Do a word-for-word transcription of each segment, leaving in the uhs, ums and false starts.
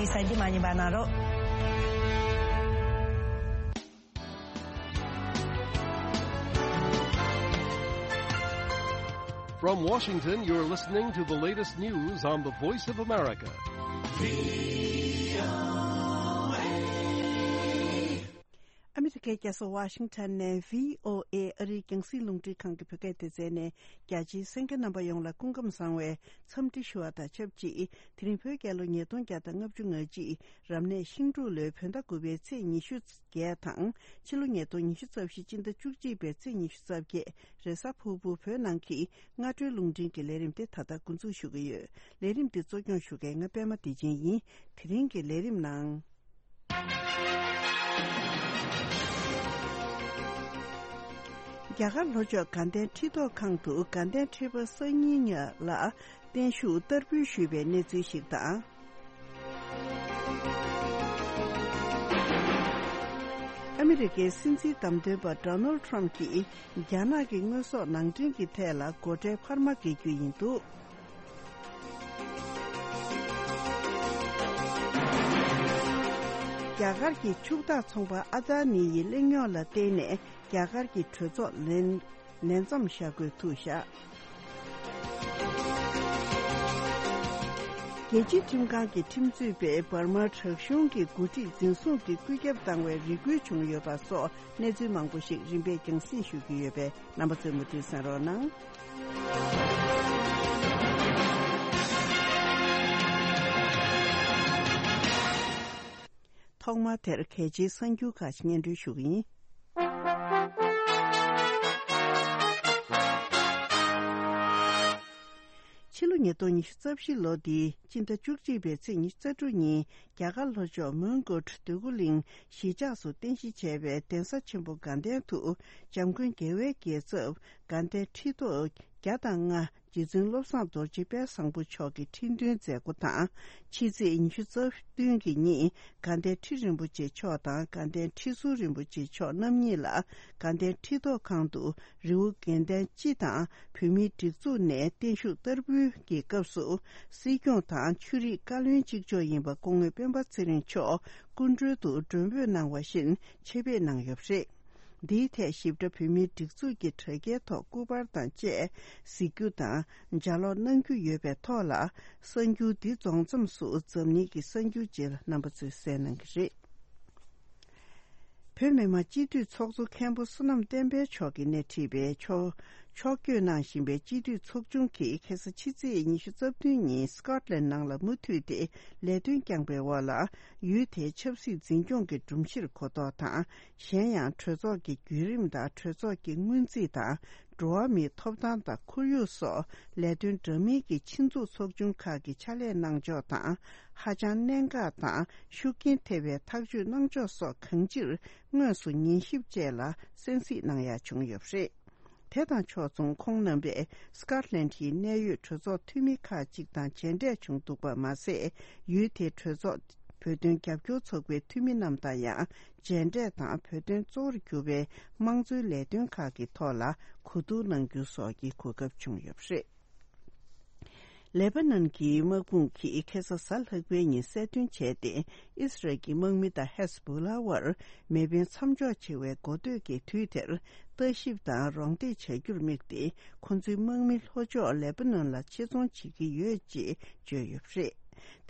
གསར་འགྱུར་མ་ཉན་པ་གནང་རོགས། From Washington, you're listening to the latest news on the Voice of America. ཨ་མི་རི་ཀའི་རྒྱལ་ས་ཝ་ཤིང་ཊོན་ནས་བྷི་ཨོ་ཨེ་ཨ་རིའི་རྒྱང་སྲིང་རླུང་འཕྲིན་ཁང་གི་བོད་སྐད་སྡེ་ཚན་ནས། རྒྱ་ཆེའི་གསན་མཁན་རྣམ་པ་ཡོངས་ལ་སྐུ་ཁམས་བཟང་བའི་འཚམས་འདྲི་ཞུ་བ་དང་ཆབས་ཅིག་དེ་རིང་བོད་རྒྱལ་ལོ་ཉིས་སྟོང་བརྒྱ་དང་ལྔ་བཅུ་ང་གཅིག་རབ་གནས་ཤིང་འབྲུག་ལོའི་བོད་ཟླ་དགུ་པའི་ཚེས་ཉི་ཤུ་བརྒྱད་དང་། ཕྱི་ལོ་ཉིས་སྟོང་ཉི་ཤུ་རྩ་བཞི་སྤྱི་ཟླ་བཅུ་གཅིག་པའི་ཚེས་ཉི་ཤུ་རྩ་བརྒྱད། རེས་གཟའ་ཕུར་བུ་བོད་ནང་གི་སྔ་དྲོའི་རླུང་འཕྲིན་གྱི་ལས་རིམ་དེ་ད་ལྟ་འགོ་འཛུགས་ཞུ་གི་ཡོད། ལས་རིམ་འདི་གཙོ་སྐྱོང་ཞུ་མཁན་ང་པད་མ་བདེ་ཆེན་ཡིན། དེ་རིང་གི་ལས་རིམ་ནང་། རྒྱ་གར་ལྷོ་ཕྱོགས་དགའ་ལྡན་ཁྲི་ཐོག་ཁང་དུ་དགའ་ལྡན་ཁྲི་པ་སང་ཉིན་ཉིན་ལ་བརྟན་བཞུགས་བསྟར་འབུལ་ཞུས་པའི་གནས་ཚུལ་ཞིག་དང་། ཨ་མི་རི་ཀའི་སྲིད་འཛིན་བདམས་ཐོན་པ་ཌོ་ནལ་ཁྲམ་གྱིས་རྒྱ་ནག་གི་དངོས་ཟོག་ནང་འདྲེན་གྱི་ཐད་ལ་སྒོ་ཁྲལ་འཕར་མ་འགེལ་རྒྱུ་ཡིན་འདུག་རྒྱ་གར་གྱི་ཕྱུག་བདག་ཚོང་པ་ཨ་ཏཱ་ནི་ཡི་གླེང་རྙོག་ལ་བརྟེན་ནས་རྒྱ་གར་གྱི་གྲོས་ཚོགས་ལས་ལས་མཚམས་བཞག་དགོས་ཐུག་བཞག་རྒྱལ་སྤྱིའི་ཁྲིམས་ཁང་གི་ཁྲིམས་རྩོད་པས་འབར་མ་དྲག་གཞུང་གི་འགོ་ཁྲིད་འཛིན་བཟུང་གིས་བཀོད་ཁྱབ་བཏང་བའི་རེ་སྐུལ་བྱུང་ཡོད་པ་སོགས་གནས་ཚུལ་མང་པོ་ཞིག་རིམ་པས་རྒྱང་སྲིང་ཞུ་གི་ཡོད་པས་རྣམ་པ་ཚོས་མུ་མཐུད་གསན་རོགས་གནང་། ཐོག་མར་དེར་གལ་ཆེའི་གསར་འགྱུར་ཁག་ཅིག་སྙན་སྒྲོན་ཞུ་གི་ཡིན། ཕྱི་ལོ་ཉིས་སྟོང་ཉི་ཤུ་རྩ་བཞི་ལོ་འདིའི་སྤྱི་ཟླ་བཅུ་གཅིག་པའི་ཚེས་ཉི་ཤུ་རྩ་དྲུག་ཉིན་རྒྱ་གར་ལྷོ་ཕྱོགས་མོན་གྷོ་འདོད་རྒུ་གླིང་གཞིས་ཆགས་སུ་རྟེན་གཞི་བྱས་པའི་གདན་ས་ཆེན་པོ་དགའ་ལྡན་དུ་འཇམ་མགོན་རྒྱལ་བའི་རྒྱལ་ཚབ་དགའ་ལྡན་ཁྲི་ཐོག་བརྒྱ་དང་ལྔ་རྗེ་བཙུན་བློ་བཟང་རྡོ་རྗེ་དཔལ་བཟང་པོ་མཆོག་གི་ཁྲི་འདོན་མཛད་སྒོ་དང་། ཕྱི་ཚེས་ཉི་ཤུ་རྩ་བདུན་གྱི་ཉིན་དགའ་ལྡན་ཁྲི་རིན་པོ་ཆེ་མཆོག་དང་དགའ་ལྡན་ཁྲི་ཟུར་རིན་པོ་ཆེ་མཆོག་རྣམ་གཉིས་ལ་དགའ་ལྡན་ཁྲི་ཐོག་ཁང་དུ་རི་བོ་དགེ་ལྡན་སྤྱི་དང་བོད་མིའི་སྒྲིག་འཛུགས་ནས་བརྟན་བཞུགས་བསྟར་འབུལ་གྱི་སྐབས་སུ་སྲིད་སྐྱོང་དང་ཆོས་རིག་བཀའ་བློན་གཅིག་ལྕོགས་ཡིན་པ་སྐུ་ངོ་སྤེན་པ་ཚེ་རིང་མཆོག་སྐུ་མགྲོན་དུ་མགྲོན་འབོད་གནང་བ་བཞིན་ཆེད་ཕེབས་གནང་ཡོད་པ་རེད། འདིའི་ཐད་ཞིབ་ཕྲ་བོད་མིའི་སྒྲིག་འཛུགས་ཀྱི་དྲ་རྒྱའི་ཐོག་སྐུ་པར་དང་བཅས་གཟིགས་རྒྱུ་དང་ལྗགས་ཀློག་གནང་རྒྱུ་ཡོད་པའི་ཐོག་ལ། གསར་འགྱུར་འདི་རྫོགས་མཚམས་སུ་འཛམ་གླིང་གི་གསར་འགྱུར་རྗེས་ལ་རྣམ་པ་ཚོས་གསན་གནང་གི་རེད། བོད་མི་མང་སྤྱི་འཐུས་ཚོགས་གཙོ་མཁན་པོ་བསོད་ནམས་བསྟན་འཕེལ་མཆོག་གིས་སྣེ་ཁྲིད་པའི་ཕྱོགས་ཕྱོགས་བསྐྱོད་གནང་བཞིན་པའི་སྤྱི་འཐུས་ཚོགས་ཆུང་གིས་ཁ་སང་ཕྱི་ཚེས་ཉི་ཤུ་རྩ་བདུན་ཉིན་སི་ཀོཊ་ལན་ནང་ལ་མུ་མཐུད་དེ་ལས་དོན་བསྐྱངས་པའི་འོག་ལ། ཡུལ་དེའི་ཆབ་སྲིད་འཛིན་སྐྱོང་གི་སྒྲོམ་གཞིར་གོ་རྟོགས་དང་། གཞན་ཡང་གྲོས་ཚོགས་ཀྱི་བརྒྱུད་རིམ་དང་གྲོས་ཚོགས་ཀྱི་སྔོན་རྩིས་དང་། འགྲོ་བ་མིའི་ཐོབ་ཐང་དང་ཁོར་ཡུག་སོགས་ལས་དོན་འདྲ་མིན་གྱི་ཆེད་འཛུགས་ཚོགས་ཆུང་ཁག་གི་ཕྱག་ལས་གནང་ཕྱོགས་དང་། ཧ་ཅང་གནད་འགག་དང་ཤུགས་རྐྱེན་ཐེབས་པའི་ཐག་གཅོད་གནང་ཕྱོགས་སོགས་གང་ཅིར་དངོས་སུ་ཉན་ཞིབ་བཅས་ལ་གསན་གཟིགས་གནང་ཡ་བྱུང་ཡོད་པ་རེད། དེ་དང་ཕྱོགས་མཚུངས་ཁོང་རྣམ་པས་སི་ཀོཊ་ལན་ཌིའི་གནད་ཡོད་གྲོས་ཚོགས་འཐུས་མི་ཁག་ཅིག་དང་མཇལ་འཕྲད་བྱུང་འདུག་པ་མ་ཟད། ཡུལ་དེའི་གྲོས་ཚོགས་བོད་དོན་རྒྱབ་སྐྱོར་ཚོགས་པའི་འཐུས་མི་རྣམས་དང་ཡང་མཇལ་འཕྲད་དང་། བོད་དོན་གཙོ་བོར་གྱུར་པའི་དམངས་གཙོའི་ལས་དོན་ཁག་གི་ཐོག་ལ་གོ་བསྡུར་གནང་རྒྱུ་སོགས་ཀྱི་གོ་སྐབས་བྱུང་ཡོད་པ་རེད། ལེ་པ་ནན་གྱི་དམག་དཔུང་གིས་ཁ་སང་གཟའ་ལྷག་པའི་ཉིན་གསལ་སྟོན་བྱས་ཏེ། ཨིས་རལ་གྱི་དམག་མི་དང་ཧེ་ཟ་བྷོ་ལ་བར་མེ་འཕེན་མཚམས་འཇོག་བྱེད་པའི་འགོ་སྟོད་ཀྱི་དུས་དེར་ལྟ་ཞིབ་དང་རོགས་འདེགས་བྱ་རྒྱུར་དམིགས་ཏེ། ཁོ་ཚོའི་དམག་མི་ལྷོ་ཕྱོགས་ལེ་པ་ནན་ལ་ཆེད་རྫོང་བྱེད་ཀྱི་ཡོད་ཅེས་བརྗོད་ཡོད་པ་རེད།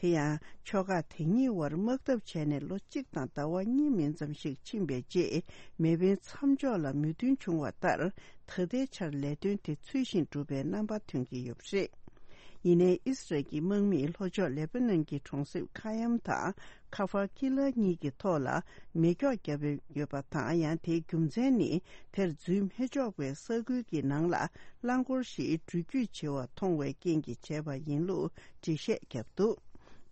དེ་ཡང་ཕྱོགས་ཁག་དེ་གཉིས་བར་དམག་འཐབ་བྱས་ནས་ལོ་གཅིག་དང་ཟླ་བ་གཉིས་མིན་ཙམ་ཞིག་ཕྱིན་པའི་རྗེས། མེ་འཕེན་མཚམས་འཇོག་ལ་མོས་མཐུན་བྱུང་བ་ལྟར། ད་ལྟའི་ཆར་ལས་དོན་དེ་ཚུལ་བཞིན་འགྲུབ་པའི་རྣམ་པ་ཐོན་གྱི་ཡོད་པ་རེད། ཡིན་ནའི་ཨིས་རལ་གྱི་དམག་མིས་ལྷོ་ཕྱོགས་ལེ་པ་ནན་གྱི་གྲོང་གསེབ་ཁ་ཡམ་དང་ཁ་ཧྥ་ཀི་ལ་གཉིས་ཀྱི་ཐོག་ལ་མེ་སྒྱོགས་བརྒྱབ་ཡོད་པ་དང་། ཡང་དེའི་རྒྱུ་མཚན་ནི། དེར་འཛུལ་མི་ཆོག་པའི་ས་ཁུལ་གྱི་ནང་ལ་རླངས་འཁོར་ཞིག་འགྲུལ་སྐྱོད་བྱེད་པ་མཐོང་བའི་རྐྱེན་གྱིས་བྱས་པ་ཡིན་ལུགས་འགྲེལ་བཤད་བརྒྱབ་འདུག་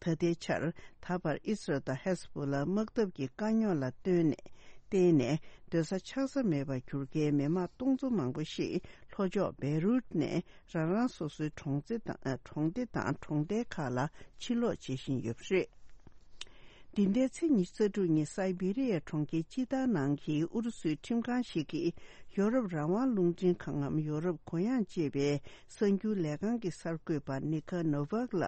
ད་ལྟའི་ཆར་ད་བར་ཨིས་རལ་དང་ཧེ་ཟ་བྷོ་ལ་དམག་འཐབ་ཀྱི་དཀའ་རྙོག་ལ་བརྟེན་ནས། བརྟེན་ནས་སྡོད་ས་ཆགས་ས་མེད་པར་གྱུར་མཁན་མི་མང་སྟོང་ཚོ་མང་པོ་ཞིག་ལྷོ་ཕྱོགས་བེ་རུད་ནས་རང་རང་སོ་སོའི་གྲོང་ཚོ་དང་། གྲོང་སྡེ་དང་གྲོང་རྡལ་ཁག་ལ་ཕྱིར་ལོག་བྱེད་བཞིན་ཡོད་པ་རེད། འདི་ཟླའི་ཚེས་ཉི་ཤུ་རྩ་དྲུག་ཉིན་སའི་བི་རི་ཡའི་གྲོང་ཁྱེར་ཅི་ཏཱ་ནང་གི་ཨུ་རུ་སུའི་ཁྲིམས་ཁང་ཞིག་གིས་ཡོ་རོབ་རང་དབང་རླུང་འཕྲིན་ཁང་ངམ་ཡོ་རོབ་གུ་ཡངས་ཅེས་པའི་གསར་འགྱུར་ལས་ཁང་གི་གསར་འགོད་པ་ནི་ཁ་ནོ་ཝག་ལ་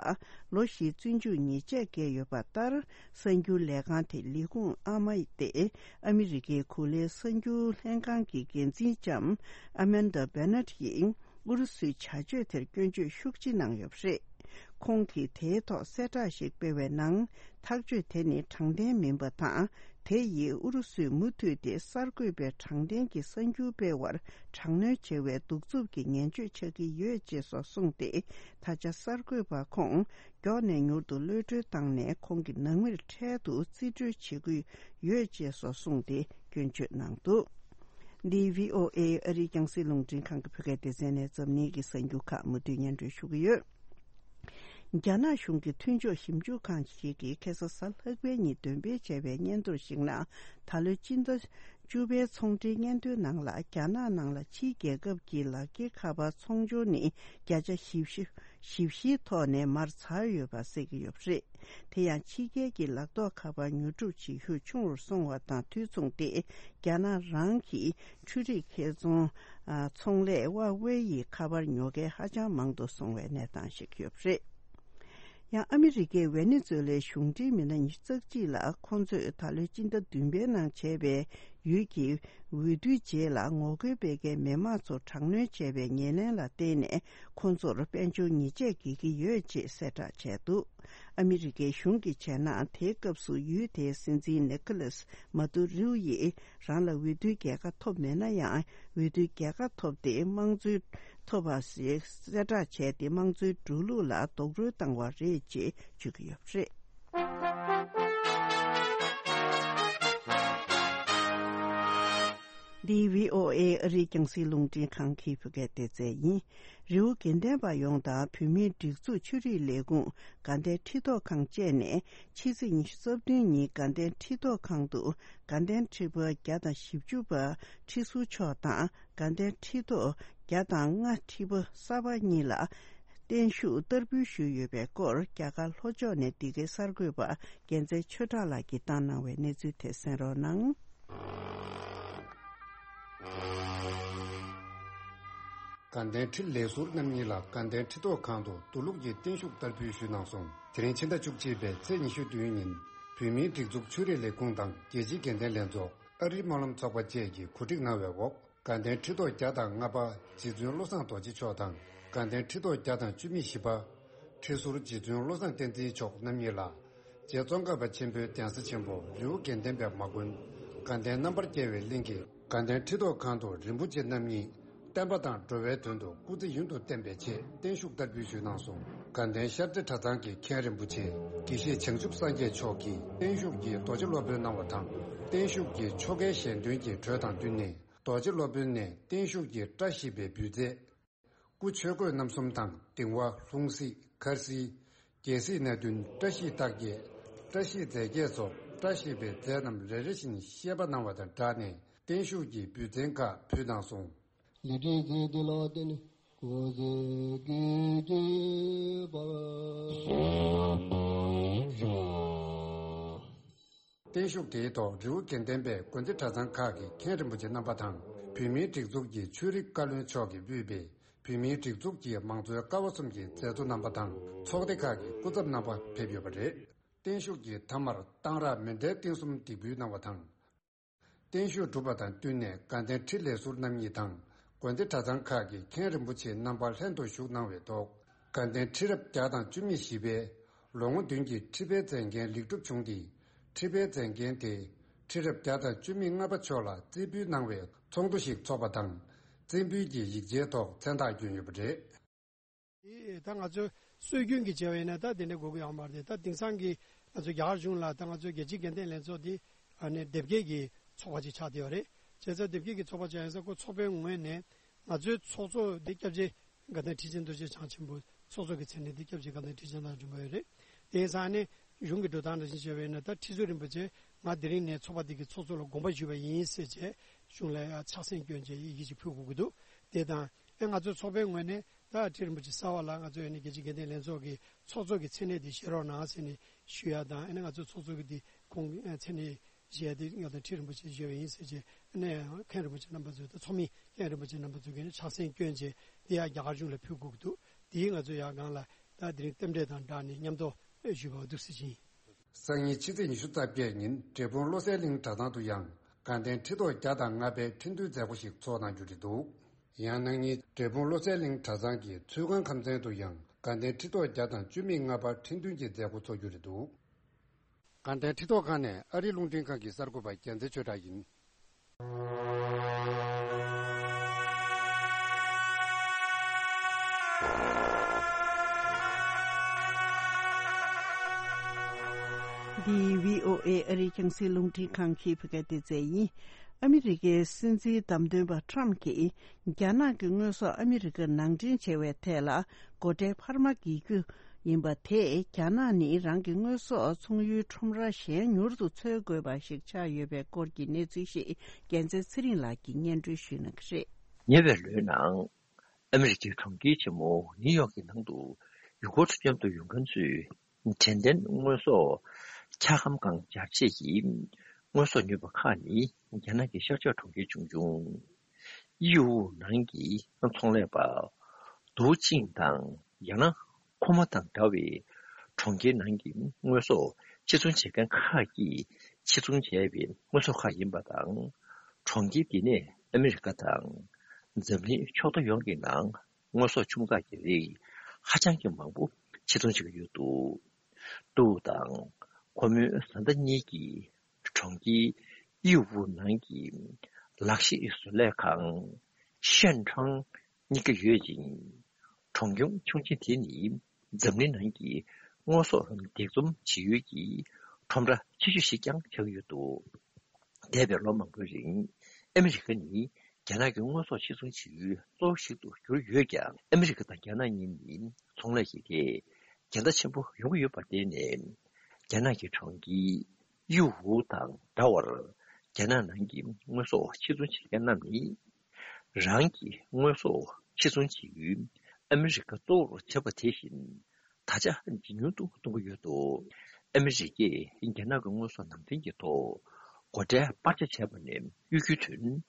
ལོ་བཞིའི་བཙོན་འཇུག་ཉེས་ཆད་བཀལ་ཡོད་པ་ལྟར། གསར་འགྱུར་ལས་ཁང་དེའི་ལས་ཁུངས་ཨ་མ་སྟེ་ཨ་མི་རི་ཀའི་གོ་ལའི་གསར་འགྱུར་ལྷན་ཁང་གི་འགན་འཛིན་ལྕམ་ཨ་མན་ཌ་བེ་ནཊ་ཡིས། ཨུ་རུ་སུའི་བྱ་སྤྱོད་དེར་སྐྱོན་བརྗོད་ཤུགས་ཆེ་གནང་ཡོད་པ་རེད། ཁོང་གིས་དེའི་ཐོག་གསལ་བསྒྲགས་ཤིག་སྤེལ་བའི་ནང་། ཐག་གཅོད་དེ་ནི་དྲང་བདེན་མིན་པ་དང་། དེ་ཡིས་ཨུ་རུ་སུས་མུ་མཐུད་དེ་གསར་འགོད་པའི་དྲང་བདེན་གྱི་གསར་འགྱུར་སྤེལ་བར་དྲག་གནོན་བྱེད་པའི་གདུག་རྩུབ་ཀྱི་ངན་སྤྱོད་ཆགས་ཀྱི་ཡོད་ཅེས་སོགས་གསུངས་ཏེ། ད་ཆ་གསར་འགོད་པ་ཁོང་མགྱོགས་ནས་མྱུར་དུ་གློད་གྲོལ་བཏང་ནས། ཁོང་གི་ནང་མིར་འཕྲལ་དུ་རྩིས་སྤྲོད་བྱེད་ཀྱི་ཡོད་ཅེས་སོགས་གསུངས་ཏེ་སྐྱོན་བརྗོད་གནང་འདུག་འདི་བྷི་ཨོ་ཨེ་ཨ་རིའི་རྒྱང་སྲིང་རླུང་འཕྲིན་ཁང་གི་བོད་སྐད་སྡེ་ཚན་ནས་འཛམ་གླིང་གི་གསར་འགྱུར་ཁག་མུ་མཐུད་སྙན་སྒྲོན་ཞུ་གི་ཡོད། རྒྱ་ནག་གཞུང་གི་མཐུན་ཕྱོགས་ཞིབ་འཇུག་ཁང་ཞིག་གིས་ཁ་སང་གཟའ་ལྷག་པའི་ཉིན་འདོན་སྤེལ་བྱས་པའི་སྙན་ཐོར་ཞིག་ནང་། ད་ལོའི་སྤྱི་ཟླ་བཅུ་པའི་ཚོང་འབྲེལ་སྙན་ཐོའི་ནང་ལ། རྒྱ་ནག་ནང་ལ་ཕྱིའི་རྒྱལ་ཁབ་ཀྱི་ལག་འཁྱེར་ཁ་པར་ཚོང་སྦྱོར་ནི་བརྒྱ་ཆ་བཞི་བཅུ། ཞིབ་བཤེར་ཐོག་ནས་མར་ཚར་ཡོད་པ་གསལ་གྱི་ཡོད་པ་རེད། དེ་ཡང་ཕྱི་རྒྱལ་གྱི་ལག་ཐོགས་ཁ་པར་ཉོ་སྒྲུབ་བྱེད་ཤུགས་ཆུང་རུ་སོང་བ་དང་དུས་མཚུངས་ཏེ། རྒྱ་ནག་རང་གི་འཕྲུལ་རིག་ཁེ་ཚོང་ཚོང་ལས་ཧྭ་ཝེ་ཡི་ཁ་པར་ཉོ་མཁན་ཧ་ཅང་མང་དུ་སོང་བའི་གནས་སྟངས་ཤིག་ཡོད་པ་རེད། ཡང་ཨ་མི་རི་ཀའི་ཝེ་ནེ་ཛུ་ལའི་གཞུང་འབྲེལ་མི་སྣ་ཉི་ཤུ་རྩ་གཅིག་ལ། ཁོང་ཚོས་ད་ལོའི་སྤྱི་ཟླ་བདུན་པའི་ནང་བྱས་པའི་ཡུལ་གྱི་འོས་བསྡུའི་རྗེས་ལ་ངོ་རྒོལ་སྤེལ་མཁན་མི་མང་ཚོར་དྲག་གནོན་བྱས་པའི་ཉེར་ལེན་ལ་བརྟེན་ནས། ཁོང་ཚོར་དཔལ་འབྱོར་ཉེས་ཆད་འགེལ་གྱི་ཡོད་ཅེས་གསལ་བསྒྲགས་བྱས་འདུག་ཨ་མི་རི་ཀའི་གཞུང་གིས་བྱས་ན། དེའི་སྐབས་སུ་ཡུལ་དེའི་སྲིད་འཛིན་ནི་ཁོ་ལཱས་མ་དུ་རུའུ་ཡིས་རང་ལ་འོས་བསྡུའི་རྒྱལ་ཁ་ཐོབ་མེད་ན་ཡང་། འོས་བསྡུའི་རྒྱལ་ཁ་ཐོབ་སྟེ་དམངས་གཙོའི་ཐོབ་པ་ཞིག་གསལ་བསྒྲགས་བྱས་ཏེ། དམངས་གཙོའི་འགྲོ་ལུགས་ལ་རྡོག་རོལ་བཏང་བ་རེད་ཅེས་བརྗོད་ཀྱི་ཡོད་པ་རེད། འདི་བྷི་ཨོ་ཨེ་ཨ་རིའི་རྒྱང་སྲིང་རླུང་འཕྲིན་ཁང་གི་བོད་སྐད་སྡེ་ཚན་ཡིན། རི་བོ་དགེ་ལྡན་པ་ཡོངས་དང་བོད་མིའི་སྒྲིག་འཛུགས་ཆོས་རིག་ལས་ཁུངས་དགའ་ལྡན་ཁྲི་ཐོག་ཁང་བཅས་ནས། ཕྱི་ཚེས་ཉི་ཤུ་རྩ་བདུན་ཉིན་དགའ་ལྡན་ཁྲི་ཐོག་ཁང་དུ། དགའ་ལྡན་ཁྲི་པ་བརྒྱ་དང་བཞི་བཅུ་པ་ཁྲི་ཟུར་མཆོག་དང་། དགའ་ལྡན་ཁྲི་ཐོག་བརྒྱ་དང་ལྔ་ཁྲི་པ་གསར་པ་གཉིས་ལ་བརྟན་བཞུགས་བསྟར་འབུལ་ཞུས་ཡོད་པའི་སྐོར། རྒྱ་གར་ལྷོ་ཕྱོགས་ནས་འདི་གའི་གསར་འགོད་པ་རྒྱལ་མཚན་ཆོས་གྲགས་ལགས་ཀྱིས་བཏང་གནང་བའི་གནས་ཚུལ་དེ་གསན་རོགས་གནང་། དགའ་ལྡན་ཁྲི་ལས་ཟུར་རྣམ་གཉིས་ལ་དགའ་ལྡན་ཁྲི་ཐོག་ཁང་དུ་མདོ་ལུགས་ཀྱི་བརྟན་བཞུགས་བསྟར་འབུལ་ཞུས་གནང་སོང་། དེ་རིང་ཕྱི་ཟླ་བཅུ་གཅིག་པའི་ཚེས་ཉི་ཤུ་བདུན་ཉིན། བོད་མིའི་སྒྲིག་འཛུགས་ཆོས་རིག་ལས་ཁུངས་དང་རྒྱལ་སྤྱིའི་དགེ་ལྡན་ལྷན་ཚོགས། ཨ་རིའི་སྨོན་ལམ་ཚོགས་པ་བཅས་ཀྱིས་གོ་སྒྲིག་གནང་བའི་འོག་དགའ་ལྡན་ཁྲི་ཐོག་བརྒྱ་དང་ལྔ་པ་རྗེ་བཙུན་བློ་བཟང་རྡོ་རྗེ་མཆོག་དང་། དགའ་ལྡན་ཁྲི་ཐོག་བརྒྱ་དང་བཅུ་མེད་བཞི་པ་ཁྲི་ཟུར་རྗེ་བཙུན་བློ་བཟང་བསྟན་འཛིན་མཆོག་རྣམ་གཉིས་ལ། རྗེ་ཙོང་ཁ་པ་ཆེན་པོའི་གདན་ས་ཆེན་པོ་རི་བོ་དགེ་ལྡན་པའི་མ་དགོན། དགའ་ལྡན་རྣམ་པར་རྒྱལ་བའི་གླིང་གི་དགའ་ལྡན་ཁྲི་ཐོག་ཁང་དུ་རིན་པོ་ཆེ་རྣམ་གཉིས་བསྟན་པ་དང་འགྲོ་བའི་དོན་དུ་སྐུ་ཚེ་ཡུན་དུ་བརྟན་པའི་ཆེད་བརྟན་བཞུགས་བསྟར་འབུལ་ཞུས་གནང་སོང་། དགའ་ལྡན་ཤར་རྩེ་གྲྭ་ཚང་གི་མཁན་རིན་པོ་ཆེ་དགེ་བཤེས་བྱང་ཆུབ་སངས་རྒྱས་མཆོག་གིས་བརྟན་བཞུགས་ཀྱི་རྡོ་རྗེ་སློབ་དཔོན་གནང་བ་དང་། བརྟན་བཞུགས་ཀྱི་ཆོ་གའི་ཞལ་འདོན་གྱི་གྲོས་དང་བསྟུན་ནས། རྡོ་རྗེ་སློབ་དཔོན་ནས་བརྟན་བཞུགས་ཀྱི་བཀྲ་ཤིས་པའི་འབུལ་རྫས། སྐུ་ཆོས་གོས་རྣམ་གསུམ་དང་གདིང་བ། ལྷུང་བཟེད། འཁར་གསིལ། རྒྱལ་སྲིད་སྣ་བདུན། བཀྲ་ཤིས་རྟགས་བརྒྱད། བཀྲ་ཤིས་རྫས་བརྒྱད་སོགས་བཀྲ་ཤིས་པའི་རྫས་རྣམས་རེ་རེ་བཞིན་བཤད་པ་གནང་བ་དང་སྦྲགས་ནས། བརྟན་བཞུགས་ཀྱི་འབུལ་ཚན་ཁག་ཕུལ་གནང་སོང་། ལས་འབྲས་མཛད་དེ་ལ་བརྟེན་ནས་གོ་ཚེ་གེགས་བར། བརྟན་བཞུགས་དེའི་ཐོག་རི་བོ་དགེ་ལྡན་པའི་དགོན་སྡེ་གྲྭ་ཚང་ཁག་གི་མཁན་རིན་པོ་ཆེ་རྣམ་པ་དང་། བོད་མིའི་སྒྲིག་འཛུགས་ཀྱི་ཆོས་རིག་བཀའ་བློན་མཆོག་གིས་དབུས་པའི་བོད་མིའི་སྒྲིག་འཛུགས་ཀྱི་མང་གཙོའི་ཀ་བ་གསུམ་གྱི་མཛད་གཙོ་རྣམ་པ་དང་། ཚོགས་སྡེ་ཁག་གི་སྐུ་ཚབ་རྣམ་པ་ཕེབས་ཡོད་པ་རེད། བརྟན་བཞུགས་ཀྱི་མཐའ་མར་གཏང་རག་མཎྜལ་རྟེན་གསུམ་འདེགས་འབུལ་གནང་བ་དང་། བརྟན་བཞུགས་གྲུབ་པ་དང་བསྟུན་ནས་དགའ་ལྡན་ཁྲི་ལས་ཟུར་རྣམ་གཉིས་དང་། དགོན་སྡེ་གྲྭ་ཚང་ཁག་གི་མཁན་རིན་པོ་ཆེ་རྣམ་པ་ལྷན་དུ་བཞུགས་གནང་བའི་ཐོག་དགའ་ལྡན་ཁྲི་རབས་བརྒྱ་དང་བཅུ་མེད་བཞི་པའི་ལོ་ངོ་བདུན་གྱི་ཁྲི་པའི་མཛད་འགན་ལེགས་གྲུབ་བྱུང་སྟེ། ཁྲི་པའི་མཛད་འགན་དེ་ཁྲི་རབས་བརྒྱ་དང་བཅུ་མེད་ལྔ་པ་མཆོག་ལ་རྩིས་འབུལ་གནང་བའི་ཚོགས་འདུ་ཞིག་འཚོགས་པ་དང་། རྩིས་འབུལ་གྱི་ཡིག་ཆའི་ཐོག་མཚན་རྟགས་བསྐྱོན་ཡོད་པ་རེད། ད་ང་ཚོས་སྲོལ་རྒྱུན་གྱི་བྱ་བ་ཡིན་ན་ད་དེ་འདྲ་དགོས་ཀྱི་ཡོད་མ་རེད། ད་དེང་སང་གི་ང་ཚོ་རྒྱ་གར་གཞུང་ལ་ད་ང་ཚོའི་རྒྱལ་སྤྱིའི་དགེ་ལྡན་ལྷན་ཚོགས་འདི་ཨ་ནི་སྡེ་དགེ་གི་ཚོགས་པ་ཅིག་ཆགས་བསྡད་ཡོད་རེད། བྱས་ཙང་སྡེ་དགེ་གི་ཚོགས་པ་ཆགས་ཡིན་ཙང་ཁོ་ཚོགས་པའི་ངོས་ནས་ང་ཚོའི་ཚོགས་གཙོ་འདི་སྐྱབས་རྗེ་དགའ་ལྡན་ཁྲི་ཆེན་རྡོ་རྗེ་འཆང་ཆེན་པོ་ཚོགས་གཙོ་གི་མཚན་གནས་འདི་སྐྱབས་རྗེ་དགའ་ལྡན་ཁྲི་ཆེན་ལགས་འབྱོན་པ་ཡོད་རེད། དེ་ཡིན་ཙང་ཨ་ནི་གཞུང་གི་འགྲོ་སྟངས་འདྲ་བཞིན་བྱས་པ་ཡིན་ན་ད་ཁྲི་ཟུར་རིན་པོ་ཆེ་ང་དེ་རིང་ནས་ཚོགས་པ་འདི་གི་ཚོགས་གཙོ་ལ་དགོངས་པ་ཞུས་པ་ཡིན་ཟེར་བྱས་གཞུང་ལ་ཡང་ཕྱག་སེང་བསྐྱོན་བྱས་ཡི་གེ་ཅིག་ཕུལ་དགོས་ཀྱི་འདུག་དེ་དང་ཨེ་ང་ཚོའི་ཚོགས་པའི་ངོས་ནས་ད་ཁྲི་རིན་པོ་ཆེ་གསར་བ་ལ་ང་ཚོ་ཨ་ནི་རྒྱལ་སྤྱིའི་དགེ་ལྡན་ལྷན་ཚོགས་ཀྱི་ཚོགས་གཙོ་གི་མཚན་གནས་དེ་བཞེས་རོགས་གནང་ཟེར་ནས་ ཞུ་ཡ་དང་། ཨ་ནི་ང་ཚོའི་ཚོགས་གཙོ་གི་འདི་ཁོང་གི་མཚན་གནས་བཞེས་ཏེ་ང་ཚོ་ཁྲི་རིན་པོ་ཆེ་བཞེས་པ་ཡིན་ཟེར་བྱས། ཨ་ནི་མཁན་རིན་པོ་ཆེ་རྣམ་པ་ཚོས་དང་ཚོགས་མི་མཁན་རིན་པོ་ཆེ་རྣམ་པ་ཚོས་ཀྱིས་ཕྱག་སེན་བསྐྱོན་བྱས། དེ་ཡང་རྒྱ་གར་གཞུང་ལ་ཕུལ་དགོས་ཀྱི་འདུག་དེའི་ང་ཚོ་ཡང་སྒང་ལ་ད་དེ་རིང་རྟེན་འབྲེལ་དང་སྦྲགས་ནས་མཉམ་དུ་ཞུས་པ་འདུག་ཟེར་གྱི་ཡིན། སང་ཉིན་ཕྱི་ཚེས་ཉི་ཤུ་རྩ་བརྒྱད་ཉིན་འབྲས་སྤུངས་བློ་གསལ་གླིང་གྲྭ་ཚང་དུ་ཡང་དགའ་ལྡན་ཁྲི་ཐོག་བརྒྱ་དང་ལྔ་པའི་ཁྲི་འདོན་མཛད་སྒོ་ཞིག་ཚོགས་གནང་རྒྱུ་རེད་འདུག་ཡང་གནངས་ཉིན་འབྲས་སྤུངས་བློ་གསལ་གླིང་གྲྭ་ཚང་གི་ཚུལ་ཁང་ཁམས་ཚན་དུ་ཡང་དགའ་ལྡན་ཁྲི་ཐོག་བརྒྱ་དང་བཅུ་མེད་ལྔ་པ་ཁྲི་འདོན་གྱི་མཛད་སྒོ་ཚོགས་རྒྱུ་རེད་འདུག་དགའ་ལྡན་ཁྲི་ཐོག་ཁང་ནས་ཨ་རིའི་རླུང་འཕྲིན་ཁང་གི་གསར་འགོད་པ་རྒྱལ་མཚན་ཆོས་གྲགས་ཡིན། འདི་བྷི་ཨོ་ཨེ་ཨ་རིའི་རྒྱང་སྲིང་རླུང་འཕྲིན་ཁང་གི་བོད་སྐད་སྡེ་ཚན་ཡིན། ཨ་མི་རི་ཀའི་སྲིད་འཛིན་བདམས་ཐོན་པ་ཁྲམ་གྱིས་རྒྱ་ནག་གི་དངོས་ཟོག་ཨ་མི་རི་ཀར་ནང་འདྲེན་བྱས་པའི་ཐད་ལ་སྒོ་ཁྲལ་འཕར་མ་འགེལ་རྒྱུ་ཡིན་པ་དེས་རྒྱ་ནག་ནི་རང་གི་དངོས་ཟོག་ཚོང་ཡུལ་ཁྲོམ་ར་གཞན་མྱུར་དུ་འཚོལ་དགོས་པ་ཞིག་ཆགས་ཡོད་པའི་སྐོར་གྱི་གནས་ཚུལ་ཞིག་རྒྱལ་མཚན་ཚེ་རིང་ལགས་ཀྱིས་སྙན་སྒྲོན་ཞུ་གནང་གི་རེད། ཉེ་བའི་ལོའི་ནང་ཨ་མི་རི་ཀའི་གྲོང་ཁྱེར་ཆེན་མོ་ནིའུ་ཡོག་གི་ནང་དུ་ཡུལ་སྐོར་མཉམ་དུ་ཡོང་མཁན་ཚོས་དྲན་རྟེན་དངོས་ཟོག་འཁྱག་སྒམ་སྒང་འབྱར་ཆས་ཀྱི་དངོས་ཟོག་ཉོས་པ་ཁག་ནི་རྒྱ་ནག་གི་ཤར་ཕྱོགས་གྲོང་ཁྱེར་ཆུང་ཆུང་ཡིའུ་ནང་གི་ཚོང་ལས་པ་ཏུའུ་ཅིང་དང་། ཡང་ན་ཁོ་མོ་དང་འདྲ་བའི་གྲོང་ཁྱེར་ནང་གི་དངོས་ཟོག་ཕྱིར་ཚོང་བྱེད་མཁན་ཁག་གིས་ཕྱིར་ཚོང་བྱས་པའི་དངོས་ཟོག་ཁག་ཡིན་པ་དང་། གྲོང་ཁྱེར་འདི་ནས་ཨ་མི་རི་ཀ་དང་འཛམ་གླིང་ཕྱོགས་མཐའ་ཡོངས་ཀྱི་ནང་དངོས་ཟོག་ཆུང་ཙག་གི་རིགས་ཧ་ཅང་གི་མང་པོ་ཕྱིར་ཚོང་བྱེད་ཀྱི་ཡོད་འདུག་ཏུའུ་དང་ཁོ་མོའི་བཟའ་ཟླ་གཉིས་ཀྱིས་གྲོང་ཁྱེར་ཡིའུ་ནང་གི་ལག་ཤེས་བཟོ་ལས་ཁང་ཤན་ཁྲང་གཉེར་གྱི་ཡོད་ཅིང་། གྲོང་ཁྱེར་ཆུང་ཆེ་དེ་ནི་འཛམ་གླིང་ནང་གི་དངོས་ཟོག་འདེགས་འཛོམས་བྱེད་ཡུལ་གྱི་ཁྲོམ་ར་ཆེ་ཤོས་ཤིག་ཀྱང་ཆགས་ཡོད་འདུག་འདས་པའི་ལོ་མང་པོའི་རིང་ཨ་མི་རི་ཀ་ནི་རྒྱ་ནག་གི་དངོས་ཟོག་ཕྱིར་ཚོང་བྱེད་ཡུལ་གཙོ་བོ་ཞིག་ཏུ་གྱུར་ཡོད་ཀྱང་། ཨ་མི་རི་ཀ་དང་རྒྱ་ནག་གཉིས་ནི་ཚོང་ལས་ཀྱི་ཐད་འགལ་ཟླ་ཆེན་པོ་ཡོང་གི་ཡོད་པར་བརྟེན་ནས། རྒྱ་ནག་གི་གྲོང་ཁྱེར་ཡིའུ་དང་འདྲ་བར་རྒྱ་ནག་ནང་གི་དངོས་ཟོག་ཕྱིར་ཚོང་བྱེད་མཁན་རྣམས་ནི། རང་གི་དངོས་ཟོག་ཕྱིར་ཚོང་བྱེད་ཡུལ་ཨ་མི་རི་ཀ་གཙོ་བོར་བྱས་པ་དེ་བཞིན། ད་ཆ་ཇེ་ཉུང་དུ་གཏོང་གི་ཡོད་འདུག་ཨ་མི་རི་ཀས་རྒྱ་ནག་གི་དངོས་ཟོག་ནང་འདྲེན་གྱི་ཐོག་སྒོ་ཁྲལ་སྤར་ཆ་བྱས་པ་ནས་གཡོལ་རྒྱུའི་དོན།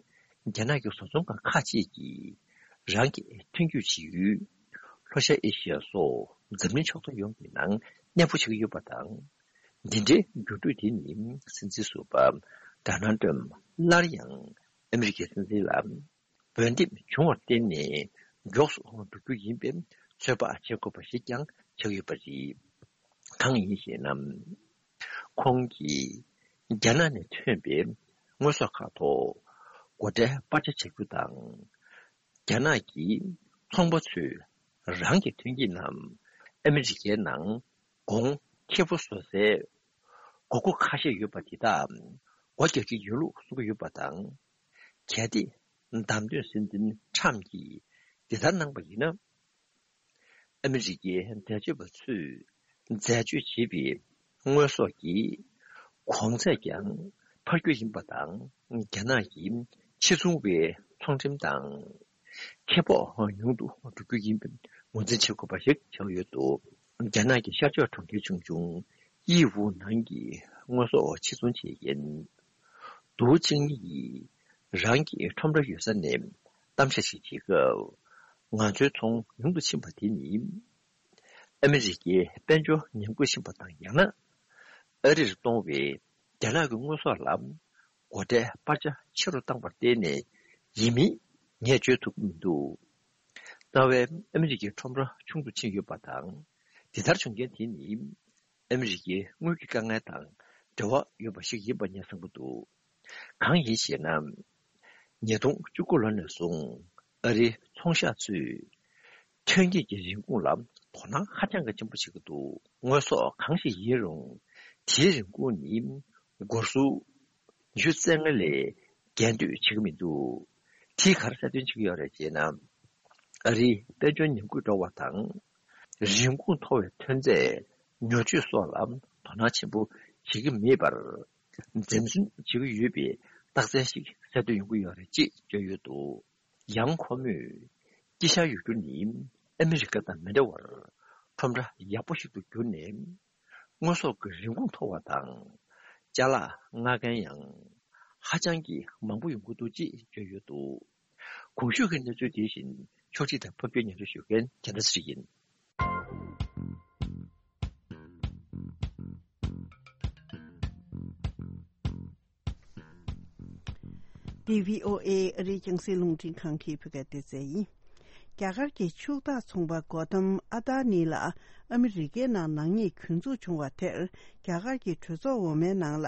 རྒྱ་ནག་གི་བཟོ་ཚོང་ཁང་ཁག་ཅིག་གིས་རང་གི་ཐོན་སྐྱེད་བྱེད་ཡུལ་ལྷོ་ཤར་ཨེ་ཤི་ཡ་སོགས་འཛམ་གླིང་ཕྱོགས་མཐའ་ཡོངས་ཀྱི་ནང་གནས་སྤོ་བྱེད་ཀྱི་ཡོད་པ་དང་། འདི་འདྲའི་འགྱུར་འགྲོས་དེ་ནི་སྲིད་འཛིན་ཟུར་པ་ཌོ་ནལ་ཏྲམ་སླར་ཡང་ཨ་མི་རི་ཀའི་སྲིད་འཛིན་ལ་འོས་འདེམས་བྱུང་བར་བརྟེན་ནས་མགྱོགས་སུ་འགྲོ་རྒྱུ་ཡིན་པའི་ཚོད་དཔག་བྱེད་དགོས་པ་ཞིག་ཀྱང་ཆགས་ཡོད་པ་རེད། གང་ཡིན་ཞེ་ན། ཁོང་གིས་རྒྱ་ནག་ནས་ཐོན་པའི་དངོས་ཟོག་ཁག་ཐོག་སྒོ་ཁྲལ་སྤར་ཆ་བྱ་རྒྱུ་དང་། རྒྱ་ནག་གི་ཚོང་པ་ཚོས་རང་གི་ཐོན་སྐྱེད་རྣམས་ཨ་མི་རི་ཀའི་ནང་གོང་ཁེ་པོ་བཟོ་སའི་དགོས་མཁོ་ཁ་ཤས་ཡོད་པ་དེ་དག་སྒོ་རྒྱག་གི་ཡོད་ལུགས་གསུང་གི་ཡོད་པ་དང་། གལ་ཏེ་བདམས་ཐོན་སྲིད་འཛིན་ཁྲམ་གྱིས་འདི་ལྟར་གནང་པ་ཡིན་ན། ཨ་མི་རི་ཀའི་འཛད་སྤྱོད་པ་ཚོས་འཛད་སྤྱོད་བྱེད་པའི་དངོས་ཟོག་གི་གོང་ཚད་ཀྱང་འཕར་རྒྱུ་ཡིན་པ་དང་། རྒྱ་ནག་གི་ཕྱིར་ཚོང་བའི་ཚོང་ཁྲིམས་དང་ཁེ་སྤོགས་ཉུང་དུ་འགྲོ་རྒྱུ་ཡིན་པའི་ངོས་འཛིན་བྱེད་དགོས་པ་ཞིག་ཆགས་ཡོད་འདུག་རྒྱ་ནག་གི་ཤར་ཕྱོགས་གྲོང་ཁྱེར་ཆུང་ཆུང་ཡིའུ་ནང་གི་དངོས་ཟོག་ཕྱིར་ཚོང་བྱེད་མཁན་ཏུའུ་ཅིང་ཡིས་རང་གི་ཁྲོམ་ར་ཡོད་ས་ནས་གཏམ་བཤད་ཞིག་བྱེད་སྐབས། ང་ཚོའི་ཚོང་ཉུང་དུ་ཕྱིན་པ་དེ་ནི། ཨ་མི་རི་ཀའི་དཔལ་འབྱོར་ཉམས་རྒུད་ཕྱིན་པ་དང་། ཡང་ན། ཨ་རིར་གཏོང་བའི་རྒྱ་ནག་གི་དངོས་ཟོག་ལ་སྒོ་ཁྲལ་སྤར་ཆ་ཆེ་རུ་བཏང་བར་བརྟེན་ནས་ཡིན་མིན་ངས་བརྗོད་ཐུབ་ཀྱི་མི་འདུག་རྩ་བའི་ཨ་མི་རི་ཀའི་ཁྲོམ་ར་ཆུང་དུ་ཕྱིན་ཡོད་པ་དང་། འདི་ལྟར་བྱུང་རྐྱེན་དེ་ནི། ཨ་མི་རི་ཀའི་དངུལ་གྱི་དཀའ་ངལ་དང་འབྲེལ་བ་ཡོད་པ་ཞིག་ཡིན་པ་ངས་བསམ་གྱི་འདུག་གང་ཡིན་ཞེ་ན། ཉིས་སྟོང་བཅུ་དགུ་ལོ་ནས་བཟུང་ཨ་རིའི་ཚོང་ཤག་ཚོས་ཐོན་སྐྱེད་ཀྱི་རིན་གོང་ལ་དོ་སྣང་ཧ་ཅང་གི་ཆེན་པོ་བྱེད་ཀྱི་འདུག་དངོས་ཟོག་གང་ཞིག་ཡིན་རུང་དེའི་རིན་གོང་ནི་སྒོར་སུམ་ཅུ་རྩ་ལྔ་ལས་བརྒལ་འདོད་བྱེད་ཀྱི་མི་འདུག་དེས་ག་རེ་གསལ་སྟོན་བྱེད་ཀྱི་ཡོད་རེད་ཅེ་ན། ཨ་རིའི་དཔལ་འབྱོར་ཉམས་རྒུད་འགྲོ་བ་དང་། རིན་གོང་མཐོ་བའི་ཐོན་རྫས་ཉོ་སྤྱོད་སོགས་ལ་དོ་སྣང་ཆེན་པོ་བྱེད་ཀྱི་མེད་པར། འཛེམ་ཟོན་བྱེད་ཀྱི་ཡོད་པའི་རྟགས་མཚན་ཞིག་གསལ་སྟོན་ཡོང་གི་ཡོད་རེད་ཅེས་བརྗོད་ཡོད་འདུག་ཡང་ཁོ་མོས་དཀྱིལ་ཤར་ཡུལ་གྲུ་ནི་ཨ་མི་རི་ཀ་དང་མི་འདྲ་བར་ཁྲོམ་ར་ཡག་པོ་ཞིག་ཏུ་གྱུར་ནས། དངོས་ཟོག་གི་རིན་གོང་མཐོ་བ་དང་། ཅ་ལག་མངགས་མཁན་ཡང་ཧ་ཅང་གི་མང་པོ་ཡོང་གི་འདུག་ཅེས་བརྗོད་ཡོད་འདུག། གོང་ཞུས་ཀྱི་གནས་ཚུལ་དེ་བཞིན་ཕྱོགས་སྒྲིག་དང་ཕབ་སྒྱུར་སྙན་སྒྲོན་ཞུ་མཁན་རྒྱལ་མཚན་ཚེ་རིང་ཡིན། འདི་བྷི་ཨོ་ཨེ་ཨ་རིའི་རྒྱང་སྲིང་རླུང་འཕྲིན་ཁང་གི་བོད་སྐད་སྡེ་ཚན་ཡིན། རྒྱ་གར་གྱི་ཕྱུག་བདག་ཚོང་པ་གོ་དམ་ཨ་ཏཱ་ནི་ལ་ཨ་མི་རི་ཀའི་ནང་ནག་ཉེས་གྱོད་འཛུགས་བྱུང་བ་དེར། རྒྱ་གར་གྱི་གྲོས་ཚོགས་འོག་མའི་ནང་ལ་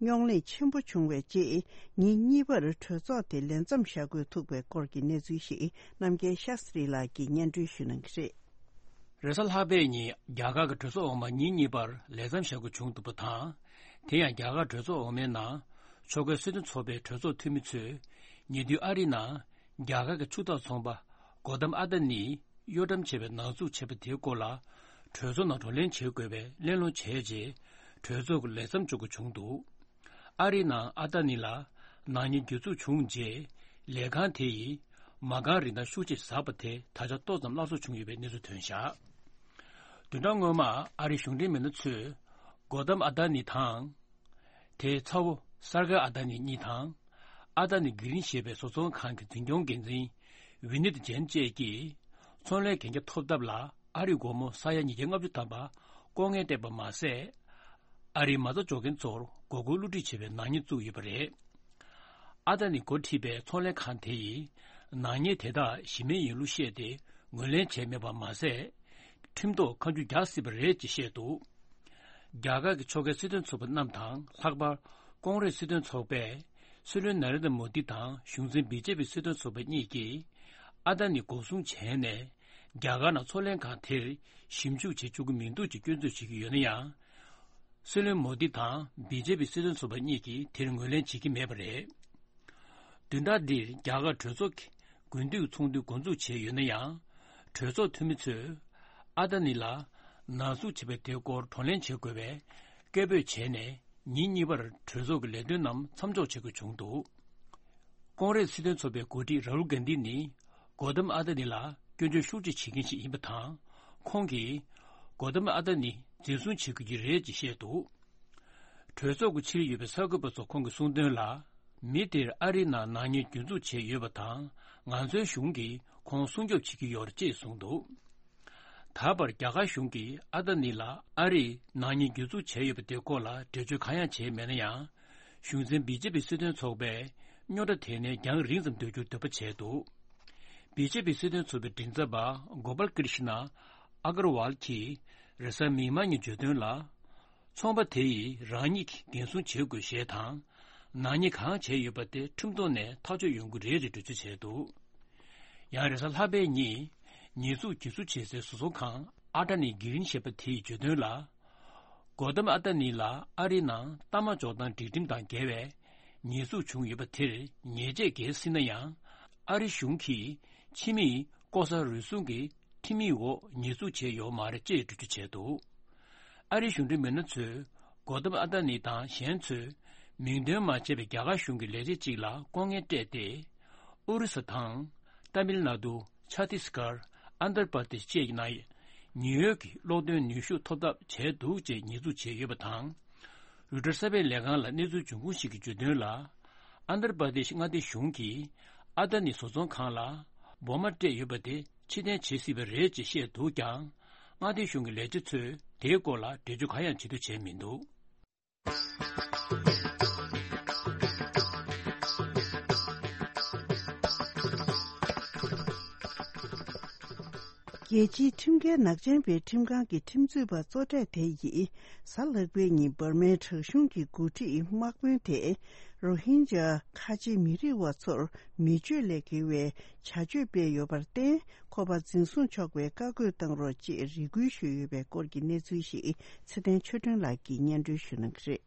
རྙོག་གླེང་ཆེན་པོ་བྱུང་བའི་རྗེས། ཉིན་གཉིས་པར་གྲོས་ཚོགས་དེ་ལས་མཚམས་བཞག་དགོས་ཐུག་པའི་སྐོར་གྱི་གནས་ཚུལ་ཞིག་རྣམ་རྒྱལ་ཤཱ་སྟྲི་ལགས་ཀྱིས་སྙན་སྒྲོན་ཞུ་གནང་གི་རེད། རེས་གཟའ་ལྷག་པའི་ཉིན་རྒྱ་གར་གྱི་གྲོས་ཚོགས་འོག་མ་ཉིན་གཉིས་པར་ལས་མཚམས་བཞག་དགོས་བྱུང་འདུག་པ་དང་། དེ་ཡང་རྒྱ་གར་གྲོས་ཚོགས་འོག་མའི་ནང་ཕྱོགས་འགལ་སྲིད་དོན་ཚོགས་པའི་གྲོས་ཚོགས་འཐུས་མི་ཚོས་ཉེ་དུས་ཨ་རིའི་ནང་རྒྱ་གར་གྱི་ཕྱུག་བདག་ཚོང་པ་གོ་དམ་ཨ་ཏཱ་ནིས་གཡོ་བཀྲམ་བྱས་པའི་ནག་འཛུགས་བྱས་པ་དེའི་སྐོར་ལ་གྲོས་ཚོགས་ནང་བགྲོ་གླེང་བྱེད་དགོས་པའི་གླེང་སློང་བྱས་རྗེས་གྲོས་ཚོགས་ཀྱི་ལས་མཚམས་འཇོག་དགོས་བྱུང་འདུག། ཨ་རིའི་ནང་ཨ་ཏཱ་ནི་ལ་ནག་ཉེས་གྱོད་འཛུགས་བྱུང་རྗེས། ལས་ཁང་དེ་ཡིས་མ་རྐང་རིན་ཐང་ཤུགས་ཆེ་ཟགས་པ་དེ་ད་ཆ་ཏོག་ཙམ་སླར་གསོ་བྱུང་ཡོད་པའི་གནས་ཚུལ་ཐོན་བཞག། བདུན་ཕྲག་སྔོན་མ་ཨ་རིའི་གཞུང་འབྲེལ་མི་སྣ་ཚོས་གོ་དམ་ཨ་ཏཱ་ནི་དང་། དེའི་ཚ་བོ་སར་གྷེ་ཨ་ཏཱ་ནི་གཉིས་དང་། ཨ་ཏཱ་ནི་གྷི་རིན་ཞེས་པའི་བཟོ་ཚོང་ཁང་གི་འཛིན་སྐྱོང་འགན་འཛིན་ཝི་ནིད་ཇེན་བཅས་ཀྱིས་ཚོང་ལས་གན་རྒྱ་ཐོབ་ཐབས་ལ། ཨ་རིའི་སྒོར་མོ་ས་ཡ་ཉིས་བརྒྱ་ལྔ་བཅུ་ཐམ་པ་ལྐོག་རྔན་སྤྲད་པ་མ་ཟད། ཨ་རིའི་མ་རྩ་འཇོག་མཁན་ཚོར་མགོ་སྐོར་བསླུ་བྲིད་བྱས་པའི་ནག་ཉེས་བཙུགས་ཡོད་པ་རེད། ཨ་ཏཱ་ནི་འགོ་ཁྲིད་པའི་ཚོང་ལས་ཁང་དེ་ཡིས་ནག་ཉེས་དེ་དག་གཞི་མེད་ཡིན་ལུགས་བཤད་དེ་ངོས་ལེན་བྱས་མེད་པ་མ་ཟད། ཁྲིམས་ཐོག་ཁ་མཆུ་རྒྱག་སྲིད་པ་རེད་ཅེས་བཤད་འདུག། རྒྱ་གར་གྱི་ཕྱོགས་འགལ་སྲིད་དོན་ཚོགས་པ་རྣམས་དང་། ལྷག་པར་ཀོང་རེས་སྲིད་དོན་ཚོགས་པས་སྲིད་བློན་ན་རེན་དྲ་མོ་དི་དང་གཞུང་འཛིན་བི་ཇེ་པི་སྲིད་དོན་ཚོགས་པ་གཉིས་ཀྱིས་ཨ་ཏཱ་ནི་འགོག་སྲུང་བྱས་ནས། རྒྱ་གར་ནང་ཚོང་ལས་ཁང་དེར་ཞིབ་འཇུག་བྱེད་བཅུག་གི་མི་འདུག་ཅེས་སྐྱོན་འཛུགས་བྱེད་ཀྱི་ཡོད་ན་ཡང་། སྲིད་བློན་མོ་དི་དང་བི་ཇེ་པི་སྲིད་དོན་ཚོགས་པ་གཉིས་ཀྱིས་དེར་ངོས་ལེན་བྱེད་ཀྱི་མེད་པ་རེད། བདུན་ཕྲག་འདིར་རྒྱ་གར་གྲོས་ཚོགས་ཀྱི་དགུན་དུས་ཚོགས་འདུ་འགོ་འཛུགས་བྱས་ཡོད་ན་ཡང་། གྲོས་ཚོགས་འཐུས་མི་ཚོས་ཨ་ཏཱ་ནི་ལ་ནག་འཛུགས་བྱས་པ་དེའི་སྐོར་བགྲོ་གླེང་བྱེད་དགོས་པའི་སྐད་འབོད་བྱས་ནས། ཉིན་གཉིས་པར་གྲོས་ཚོགས་ཀྱི་ལས་དོན་རྣམས་མཚམས་འཇོག་བྱེད་དགོས་བྱུང་འདུག། ཀོང་རེས་སྲིད་དོན་ཚོགས་པའི་འགོ་ཁྲིད་རཱ་ཧུལ་གྷན་དྷི་ནི་གོ་དམ་ཨ་ཏཱ་ནི་ལ་སྐྱོན་བརྗོད་ཤུགས་ཆེ་བྱེད་མཁན་ཞིག་ཡིན་པ་དང་། ཁོང་གིས་གོ་དམ་ཨ་ཏཱ་ནི་འཛིན་བཟུང་བྱེད་དགོས་ཀྱི་རེད་ཅེས་བཤད་འདུག། གྲོས་ཚོགས་ཀྱི་ཕྱིར་ཡོད་པའི་གསར་འགོད་པ་ཚོ་ཁོང་གིས་གསུངས་དོན་ལ། མི་དེར་ཨ་རིའི་ནང་ནག་ཉེས་གྱོད་འཛུགས་བྱས་ཡོད་པ་དང་། ང་ཚོའི་གཞུང་གིས་ཁོང་སྲུང་སྐྱོབ་བྱེད་ཀྱི་ཡོད་རེད་ཅེས་གསུངས་འདུག། ད་བར་རྒྱ་གར་གཞུང་གིས་ཨ་ཏཱ་ནི་ལ་ཨ་རིས་ནག་ཉེས་གྱོད་འཛུགས་བྱས་ཡོད་པ་དེའི་སྐོར་ལ་འགྲེལ་བརྗོད་གང་ཡང་བྱས་མེད་ན་ཡང་། གཞུང་འཛིན་བི་ཇེ་པི་སྲིད་དོན་ཚོགས་པས་རྙོག་དྲ་དེ་ནས་རྒྱང་རིང་ཙམ་སྡོད་རྒྱུར་འདོད་པ་བྱས་འདུག། བི་ཇེ་པི་སྲིད་དོན་ཚོགས་པའི་མགྲིན་ཚབ་པ་གོ་པལ་ཀྲི་ཤི་ན་ཨ་གར་ཝལ་གྱིས་རེས་གཟའ་མིག་དམར་ཉིན་བརྗོད་དོན་ལ། ཚོང་པ་དེ་ཡིས་རང་ཉིད་ཀྱིས་འགན་སྲུང་བྱེད་དགོས་ཞེས་དང་། ནག་ཉེས་གང་བྱས་ཡོད་པ་དེ་ཁྲིམས་ཐོག་ནས་ཐག་གཅོད་ཡོང་གི་རེད་ཅེས་འགྲེལ་བརྗོད་བྱས་འདུག། ཡང་རེས་གཟའ་ལྷག་པའི་ཉིན་ཉེས་འཛུགས་བྱེད་ཚུལ་བྱེད་སའི་བཟོ་ཚོང་ཁང་ཨ་ཏཱ་ནི་གྷི་རིན་ཞེས་པ་དེ་ཡིས་བརྗོད་དོན་ལ། གོ་དམ་ཨ་ཏཱ་ནི་ལ་ཨ་རིའི་ནང་གཏའ་མ་འཇོག་སྟངས་སྒྲིག་ཁྲིམས་དང་འགལ་བའི་ཉེས་འཛུགས་བྱུང་ཡོད་པ་དེར་ཉེས་ཆད་འགེལ་སྲིད་ན་ཡང་། ཨ་རི་གཞུང་གིས་ཕྱི་མིས་ལྐོག་ཟ་རུལ་སུངས་ཀྱི་ཁྲིམས་ཡིག་འོག་ཉེས་འཛུགས་བྱས་ཡོད་མ་རེད་ཅེས་འགྲེལ་བརྗོད་བྱས་འདུག། ཨ་རིའི་གཞུང་འབྲེལ་མི་སྣ་ཚོས་གོ་དམ་ཨ་ཏཱ་ནི་དང་གཞན་ཚོས་མིང་འདོན་མ་བྱས་པའི་རྒྱ་གར་གཞུང་གི་ལས་བྱེད་ཅིག་ལ་ལྐོག་རྔན་སྤྲད་དེ། ཨོ་རི་ས་དང་། ཏཱ་མིལ་ནཱ་ཏུ། ཆ་ཏིས་གར། ཨན་དར་པར་དེཤ་བཅས་ཀྱི་ནང་ཉེན་གཡོལ་གྱི་གློག་འདོན་ནུས་ཤུགས་ཐོབ་ཐབས་བྱས་འདུག་ཅེས་ཉེས་འཛུགས་བྱས་ཡོད་པ་དང་། རུ་ཊར་གསར་སྤེལ་ལས་ཁང་ལ་གནས་ཚུལ་འབྱུང་ཁུངས་ཤིག་གིས་བརྗོད་དོན་ལ། ཨན་དར་པར་དེཤ་མངའ་སྡེ་གཞུང་གིས་ཨ་ཏཱ་ནི་བཟོ་ཚོང་ཁང་ལ་འབོར་མ་སྤྲད་ཡོད་པ་དེ་ཕྱིར་འཐེན་བྱེད་སྲིད་པ་རེད་ཅེས་བཤད་འདུག་ཀྱང་། མངའ་སྡེ་གཞུང་གི་ལས་བྱེད་ཚོས་དེའི་སྐོར་ལ་འགྲེལ་བརྗོད་གང་ཡང་བྱེད་འདོད་བྱས་མི་འདུག། རྒྱལ་སྤྱིའི་ཁྲིམས་འགལ་ནག་ཅན་པའི་ཁྲིམས་ཁང་གི་ཁྲིམས་རྩོད་པ་གཙོ་གྲས་དེ་ཡིས་གཟའ་ལྷག་པའི་ཉིན་འབར་མའི་དྲག་གཞུང་གི་འགོ་ཁྲིད་དམག་དཔོན་དེ་རོ་ཧིན་ཇཱ་ཁ་ཆེ་མི་རིགས་བ་ཚོར་མི་སྤྱོད་ལས་འགལ་བའི་བྱ་སྤྱོད་སྤེལ་ཡོད་པར་བརྟེན། ཁོ་པ་འཛིན་བཟུང་ཆོག་པའི་བཀའ་བཀོད་བཏང་རོགས་ཅེས་རེ་སྐུལ་ཞུས་ཡོད་པའི་སྐོར་གྱི་གནས་ཚུལ་ཞིག་ཚེ་བརྟན་ཆོས་སྒྲོན་ལགས་ཀྱིས་སྙན་སྒྲོན་ཞུ་གནང་གི་རེད།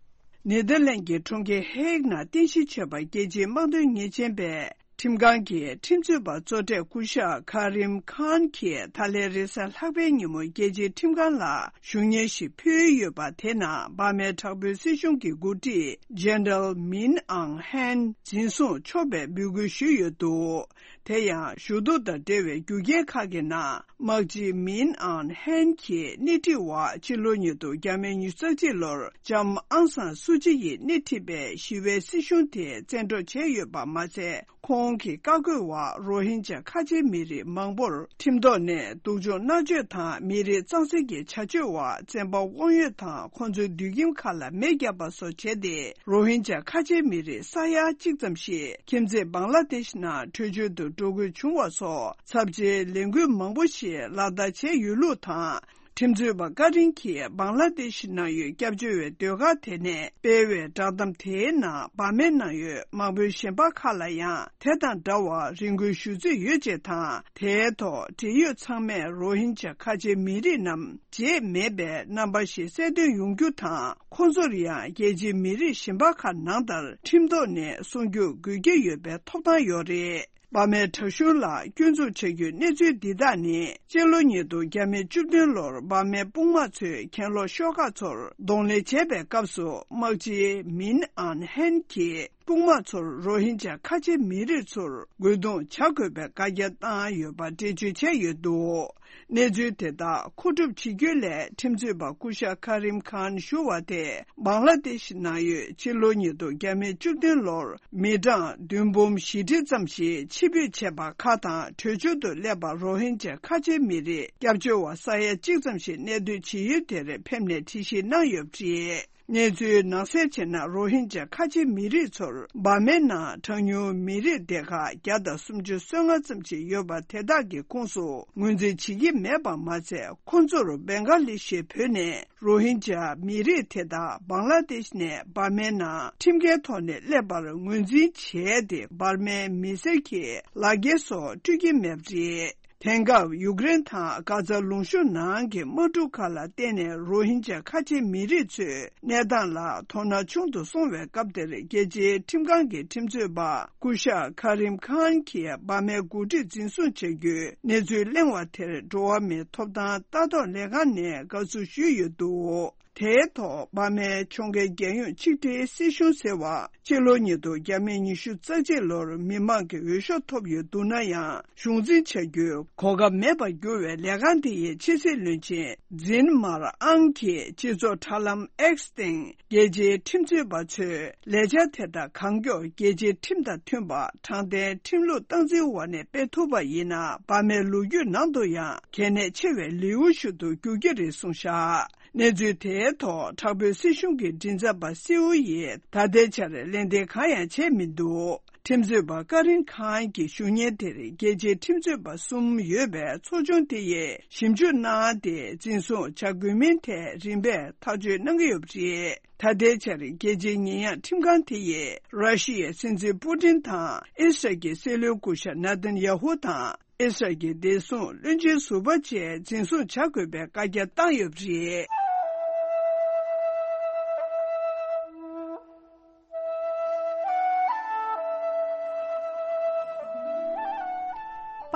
ནེ་དར་ལན་གྱི་གྲོང་ཁྱེར་ཧེག་ནང་རྟེན་གཞི་བྱས་པ་རྒྱལ་སྤྱིའི་དམག་དོན་ཉེས་ཅན་པས་ཁྲིམས་ཁང་གི་ཁྲིམས་རྩོད་པ་གཙོ་གྲས་སྐུ་ཞབས་ཁ་རིམ་ཁཱན་གྱིས་ད་ལན་རེས་གཟའ་ལྷག་པའི་ཉིན་མོ་རྒྱལ་སྤྱིའི་ཁྲིམས་ཁང་ལ་ཞུ་སྙན་ཞིག་ཕུལ་ཡོད་པ་དེ་ནང་འབར་མའི་དྲག་པོའི་སྲིད་གཞུང་གི་འགོ་ཁྲིད་ཇེན་ནེ་རལ་མིན་ཨང་ཧན་འཛིན་བཟུང་ཆོག་པའི་འབོད་སྐུལ་ཞུས་ཡོད་འདུག། དེ་ཡང་ཞུ་གཏུག་དང་འབྲེལ་བའི་རྒྱུ་རྐྱེན་ཁག་གི་ནང་། དམག་སྤྱི་མིན་ཨང་ཧན་གྱིས་སྣེ་ཁྲིད་འོག་ཕྱི་ལོ་ཉིས་སྟོང་བརྒྱ་མེད་ཉི་ཤུ་རྩ་གཅིག་ལོར་ལྕམ་ཨང་སང་སུ་ཅི་ཡིས་སྣེ་ཁྲིད་པའི་ཞི་བའི་སྲིད་གཞུང་དེ་བཙན་འཕྲོག་བྱས་ཡོད་པ་མ་ཟད། ཁོང་གི་བཀའ་བཀོད་འོག་རོ་ཧིན་ཇཱ་ཁ་ཆེ་མི་རིགས་མང་པོར་ཁྲིམས་ཐོག་ནས་སྡུག་སྦྱོང་མནར་གཅོད་དང་མི་རིགས་གཙང་སེལ་གྱི་བྱ་སྤྱོད་འོག་བཙན་པ་དབང་ཡོད་དང་ཁོང་ཚོའི་མདུན་ཁྱིམ་ཁག་ལ་མེ་བརྒྱབ་པ་སོགས་བྱས་ཏེ། རོ་ཧིན་ཇཱ་ཁ་ཆེ་མི་རིགས་ས་ཡ་གཅིག་ཙམ་ཞིག་ཁྱིམ་མཚེས་བང་ལ་དེཤ་ནང་བྲོས་བྱོལ་དུ་འགྲོ་དགོས་བྱུང་བ་སོགས་ཚབས་ཆེའི་ལས་འགུལ་མང་པོ་ཞིག་ལག་བསྟར་བྱས་ཡོད་ལུགས་དང་། ཁྲིམས་རྩོད་པ་ཀ་རིན་གྱིས་བང་ལ་དེཤ་ནང་ཡོད་སྐྱབས་བཅོལ་བའི་སྡོད་སྒར་དེ་ནས་སྤེལ་བའི་བསྒྲགས་གཏམ་དེའི་ནང་འབར་མའི་ནང་ཡོད་དམག་དཔོན་གཞན་པ་ཁག་ལ་ཡང་དེ་དང་འདྲ་བར་རེ་སྐུལ་ཞུ་རྩིས་ཡོད་ཅེས་དང་། དེའི་ཐོག་འབྲེལ་ཡོད་ཚང་མས་རོ་ཧིན་ཇཱ་ཁ་ཆེ་མི་རིགས་རྣམས་བརྗེད་མེད་པའི་རྣམ་པ་ཞིག་གསལ་སྟོན་ཡོང་རྒྱུ་དང་། ཁོང་ཚོར་ཡང་རྒྱལ་སྤྱིའི་མི་རིགས་གཞན་པ་ཁག་ནང་ལྟར་ཁྲིམས་ཐོག་ནས་སྲུང་སྐྱོབ་དགོས་ཀྱི་ཡོད་པའི་ཐོབ་ཐང་ཡོད་རེད། འབར་མའི་དྲག་གཞུང་ལ་སྐྱོན་འཛུགས་བྱ་རྒྱུའི་གནས་ཚུལ་འདི་དག་ནི། སྤྱི་ལོ་ཉིས་སྟོང་བརྒྱ་མེད་བཅུ་བདུན་ལོར་འབར་མའི་དཔུང་དམག་ཚོས་གྱེན་ལོག་ཤོག་ཁག་ཚོར་གདོང་ལེན་བྱས་པའི་སྐབས་སུ། དམག་སྤྱི་མིན་ཨན་ཧན་གྱིས་དཔུང་དམག་ཚོར་རོ་ཧིན་ཇཱ་ཁ་ཆེ་མི་རིགས་ཚོར་རྒོལ་རྡུང་བྱ་དགོས་པའི་བཀའ་རྒྱ་བཏང་ཡོད་པ་འགྲེལ་བརྗོད་བྱས་ཡོད་འདུག་གནས་ཚུལ་དེ་དག་མཁོ་སྒྲུབ་བྱེད་རྒྱུ་ལས། ཁྲིམས་རྩོད་པ་སྐུ་ཞབས་ཁ་རིམ་ཁཱན་ཞུ་བ་དེ། བང་ལ་དེཤ་ནང་ཡོད་ཕྱི་ལོ་ཉིས་སྟོང་བརྒྱ་མེད་བཅུ་བདུན་ལོར་མི་གྲངས་བདུན་འབུམ་བཞི་ཁྲི་ཙམ་ཞིག་ཕྱིར་འབུད་བྱས་པ་ཁག་དང་། བྲོས་བྱོལ་དུ་སླེབས་པ་རོ་ཧིན་ཇཱ་ཁ་ཆེ་མི་རིགས་སྐྱབས་བཅོལ་བ་ས་ཡ་གཅིག་ཙམ་ཞིག་གནས་སྡོད་བྱེད་ཡུལ་དེར་ཕེབས་ནས་དྲི་ཞིབ་གནང་ཡོད་པ་རེད། གནས་ཚུལ་ནང་གསལ་བྱས་ན། རོ་ཧིན་ཇཱ་ཁ་ཆེ་མི་རིགས་ཚོར་འབར་མའི་ནང་གྲངས་ཉུང་མི་རིགས་སྡེ་ཁག་བརྒྱ་དང་སུམ་ཅུ་སོ་ལྔ་ཙམ་ཞིག་ཡོད་པ་དེ་དག་གི་ཁོངས་སུ་ངོས་འཛིན་བྱེད་ཀྱི་མེད་པ་མ་ཟད། ཁོང་ཚོར་བེང་ག་ལི་ཤི་བོད་ནས་རོ་ཧིན་ཇཱ་མི་རིགས་དེ་དག་བང་ལ་དེཤ་ནས་འབར་མའི་ནང་ཁྲིམས་འགལ་ཐོག་ནས་སླེབས་པར་ངོས་འཛིན་བྱས་ཏེ། འབར་མའི་མི་སེར་གྱི་ལག་འཁྱེར་སོགས་སྤྲོད་ཀྱི་མེད་པ་རེད། དེང་སྐབས་ཡུཀ་རེན་དང་གྷ་ཛ་ལུང་གཤོང་ནང་གི་དམག་འཁྲུག་ཁག་ལ་བརྟེན་ནས། རོ་ཧིན་ཇཱ་ཁ་ཆེ་མི་རིགས་ཚོའི་གནས་སྟངས་ལ་དོ་སྣང་ཆུང་དུ་སོང་བའི་སྐབས་དེར། རྒྱལ་སྤྱིའི་ཁྲིམས་ཁང་གི་ཁྲིམས་རྩོད་པ་སྐུ་ཞབས་ཁ་རིམ་ཁཱན་གྱིས་འབར་མའི་འགོ་ཁྲིད་འཛིན་བཟུང་བྱ་རྒྱུའི་གནས་ཚུལ་གླེང་བ་དེར། འགྲོ་བ་མིའི་ཐོབ་ཐང་ལྟ་རྟོག་ལས་ཁང་ནས་དགའ་བསུ་ཞུས་ཡོད་འདུག་དེའི་ཐོག་འབར་མའི་ཁྱོང་རྒན་རྒྱལ་ཡོངས་ཆིག་སྒྲིལ་སྲིད་གཞུང་ཟེར་བ། ཕྱི་ལོ་ཉིས་སྟོང་བརྒྱ་མེད་ཉི་ཤུ་རྩ་གཅིག་ལོར་མི་མང་གི་འོས་ཤོག་ཐོབ་ཡོད་འདུག་ན་ཡང་། གཞུང་འཛིན་བྱ་རྒྱུའི་གོ་སྐབས་མེད་པར་གྱུར་བའི་ལས་ཁང་དེ་ཡི་ཕྱི་སྲིད་བློན་ཆེན་ཛིན་མར་ཨང་གིས་སྤྱི་ཚོགས་དྲ་ལམ་ཨེགས་སྟེང་རྒྱལ་སྤྱིའི་ཁྲིམས་རྩོད་པ་ཚོས་ལས་འཆར་དེ་དག་གང་མགྱོགས་རྒྱལ་སྤྱིའི་ཁྲིམས་དང་མཐུན་པ། དྲང་བདེན་ཁྲིམས་ལུགས་སྟངས་འཛིན་འོག་ནས་སྤེལ་ཐུབ་པ་ཡིན་ན། འབར་མའི་ལོ་རྒྱུས་ནང་དུ་ཡང་གལ་གནད་ཆེ་བའི་ལེའུ་ཞིག་ཏུ་འགྱུར་གྱི་རེད་གསུངས་བཞག་གནས་ཚུལ་དེའི་ཐོག་དྲག་པོའི་སྲིད་གཞུང་གི་མགྲིན་ཚབ་པ་སེའུ་ཡིས་ད་ལྟའི་ཆར་ལན་འདེབས་གང་ཡང་བྱས་མི་འདུག་ཁྲིམས་རྩོད་པ་ཀ་རིན་ཁཱན་གྱི་བཞུགས་གཉེན་དེར་རྒྱལ་སྤྱིའི་ཁྲིམས་རྩོད་པ་གསུམ་ཡོད་པའི་ཚོགས་ཆུང་དེ་ཡིས་ཞིབ་འཇུག་གནང་སྟེ། འཛིན་བཟུང་བྱ་དགོས་མིན་ཐད་རིམ་པས་ཐག་གཅོད་གནང་གི་ཡོད་པ་རེད། ད་ལྟའི་ཆར་རྒྱལ་སྤྱིའི་ཉེས་ཡངས་ཁྲིམས་ཁང་དེ་ཡིས་ར་ཤི་ཡའི་སྲིད་འཛིན་པུ་ཏིན་དང་། ཨི་སི་རལ་གྱི་སྲིད་བློན་སྐུ་ཞབས་ནཱ་ཐན་ཡ་ཧུ་དང་། ཨི་སི་རལ་གྱི་བདེ་སྲུང་བློན་ཆེན་ཟུར་པ་བཅས་འཛིན་བཟུང་བྱ་དགོས་པའི་བཀའ་རྒྱ་བཏང་ཡོད་པ་རེད།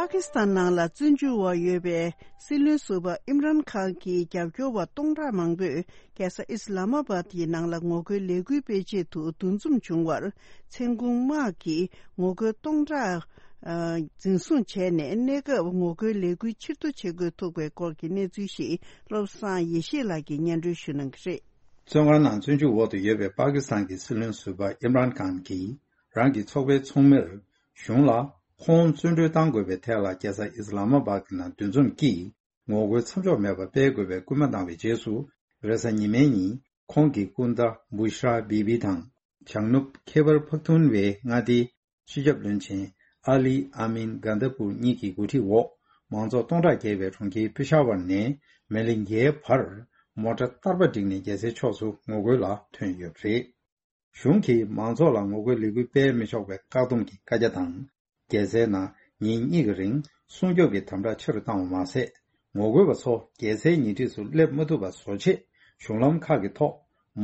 པ་ཀི་སི་ཐན་ནང་ལ་བཙོན་འཇུག་འོག་ཡོད་པའི་སྲིད་བློན་ཟུར་པ་ཨིམ་རཱན་ཁཱན་གྱི་རྒྱབ་སྐྱོར་བ་སྟོང་ཕྲག་མང་པོས། རྒྱལ་ས་ཨིས་ལ་མ་བཱད་ཀྱི་ནང་ལ་ངོ་རྒོལ་ལས་འགུལ་སྤེལ་ཆེད་དུ་འདུ་འཛོམས་བྱུང་བར། མཚན་གུང་དམག་གིས་ངོ་རྒོལ་སྟོང་ཕྲག་ཨ། འཛིན་བཟུང་བྱས་ནས། གནས་སྐབས་ངོ་རྒོལ་ལས་འགུལ་ཕྱིར་བསྡུ་བྱེད་དགོས་ཐུག་པའི་སྐོར་གྱི་གནས་ཚུལ་ཞིག་བློ་བཟང་ཡེ་ཤེས་ལགས་ཀྱིས་སྙན་སྒྲོན་ཞུ་གནང་གི་རེད། བཙོན་ཁང་ནང་བཙོན་འཇུག་འོག་ཏུ་ཡོད་པའི་པ་ཀི་སི་ཐན་གྱི་སྲིད་བློན་ཟུར་པ་ཨིམ་རཱན་ཁཱན་གྱིས། རང་གི་ཚོགས་པའི་ཚོགས་མིར་གཞུང་ལ་ཁོང་བཙོན་གྲོལ་གཏང་དགོས་པའི་ཐད་ལ། རྒྱལ་ས་ཨིས་ལ་མ་བཱད་ཀྱི་ནང་འདུ་འཛོམས་ཀྱིས། ངོ་རྒོལ་མཚམས་འཇོག་མེད་པར་སྤེལ་དགོས་པའི་སྐུལ་མ་བཏང་བའི་རྗེས་སུ། རེས་གཟའ་ཉི་མའི་ཉིན་ཁོང་གི་སྐུ་ཟླ་བུ་ཤ་ར་བི་བི་དང་། བྱང་ནུབ་ཁེ་བར་ཕག་ཐུན་བའི་མངའ་སྡེའི་སྤྱི་ཁྱབ་བློན་ཆེན་ཨ་ལི་ཨ་མིན་གྷན་དྷ་པུར་གཉིས་ཀྱི་འགོ་ཁྲིད་འོག་མང་ཚོགས་སྟོང་ཕྲག་བརྒལ་བས་གྲོང་ཁྱེར་པི་ཤ་ཝར་ནས་མེ་ལི་འགྱའི་བར་མོ་ཊ་བསྟར་པ་བསྒྲིགས་ནས་རྒྱལ་སའི་ཕྱོགས་སུ་ངོ་རྒོལ་ལ་ཐོན་ཡོད་པ་རེད། གཞུང་གིས་མང་ཚོགས་ལ་ངོ་རྒོལ་ལས་འགུལ་སྤེལ་མི་ཆོག་པའི་བཀག་སྡོམ་གྱི་བཀའ་རྒྱ་དང་། རྒྱལ་སའི་ནང་ཉིན་གཉིས་ཀྱི་རིང་སྲུང་སྐྱོབ་ཀྱི་དམ་དྲག་ཆེ་རུ་བཏང་བ་མ་ཟད། ངོ་རྒོལ་བ་ཚོ་རྒྱལ་སའི་ཉེ་འཁྲིས་སུ་སླེབས་མ་ཐུབ་པ་བཟོ་ཆེད། གཞུང་ལམ་ཁག་གི་ཐོག་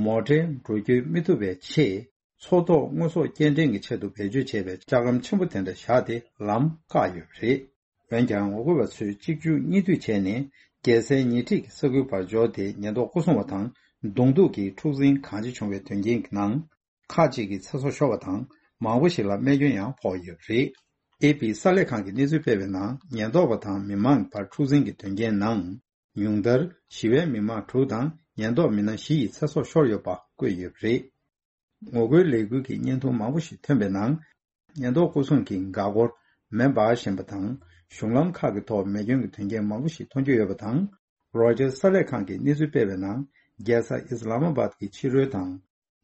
མོ་ཊའི་འགྲོ་སྐྱོད་མི་ཐུབ་པའི་ཆེད། མཚོ་ཐོག་དངོས་ཟོག་སྐྱེལ་འདྲེན་གྱི་ཆེད་དུ་བེད་སྤྱོད་བྱས་པའི་ལྕགས་ལམ་ཆེན་པོ་དེ་འདྲ་བཞག་སྟེ་ལམ་བཀག་ཡོད་པ་རེད། འོན་ཀྱང་། ངོ་རྒོལ་བ་ཚོས་གཅིག་རྒྱུག་གཉིས་མཐུད་བྱས་ནས། རྒྱལ་སའི་ཉེ་འཁྲིས་ཀྱི་ས་ཁུལ་བར་འབྱོར་ཏེ། ཉེན་རྟོག་སྐོར་སྲུང་བ་དང་། གདོང་ཐུག་གིས་འཁྲུག་འཛིང་གང་ཆེ་བྱུང་བའི་དོན་རྐྱེན་གྱི་ནང་། ཁག་ཅིག་གི་ཚེ་སྲོག་ཤོར་བ་དང་། མང་པོ་ཞིག་ལ་རྨས་སྐྱོན་ཡང་ཕོག་ཡོད་པ་རེད། ཨེ་པི་གསར་ལས་ཁང་གིས་གནས་ཚུལ་སྤེལ་བའི་ནང་། ཉེན་རྟོག་པ་དང་མི་མང་བར་འཁྲུག་འཛིང་གི་དོན་རྐྱེན་ནང་། ཉུང་མཐར་ཞི་བའི་མི་མང་དྲུག་དང་ཉེན་རྟོག་མི་སྣ་བཞི་ཡི་ཚེ་སྲོག་ཤོར་ཡོད་པ་བཀོད་ཡོད་པ་རེད། ངོ་རྒོལ་ལས་འགུལ་གྱི་བརྙན་ཐུང་མང་པོ་ཞིག་ཐོན་པའི་ནང་། ཉེན་རྟོག་སྐོར་སྲུང་གི་འགག་སྒོར་མེ་འབར་བཞིན་པ་དང་། གཞུང་ལམ་ཁག་གི་ཐོག་མེ་སྐྱོན་གྱི་དོན་རྐྱེན་མང་པོ་ཞིག་མཐོང་རྒྱུ་ཡོད་པ་དང་། རོའི་ཊར་གསར་ལས་ཁང་གིས་གནས་ཚུལ་སྤེལ་བའི་ནང་། རྒྱལ་ས་ཨིས་ལ་མ་བཱད་ཀྱི་ཕྱི་རོལ་དང་།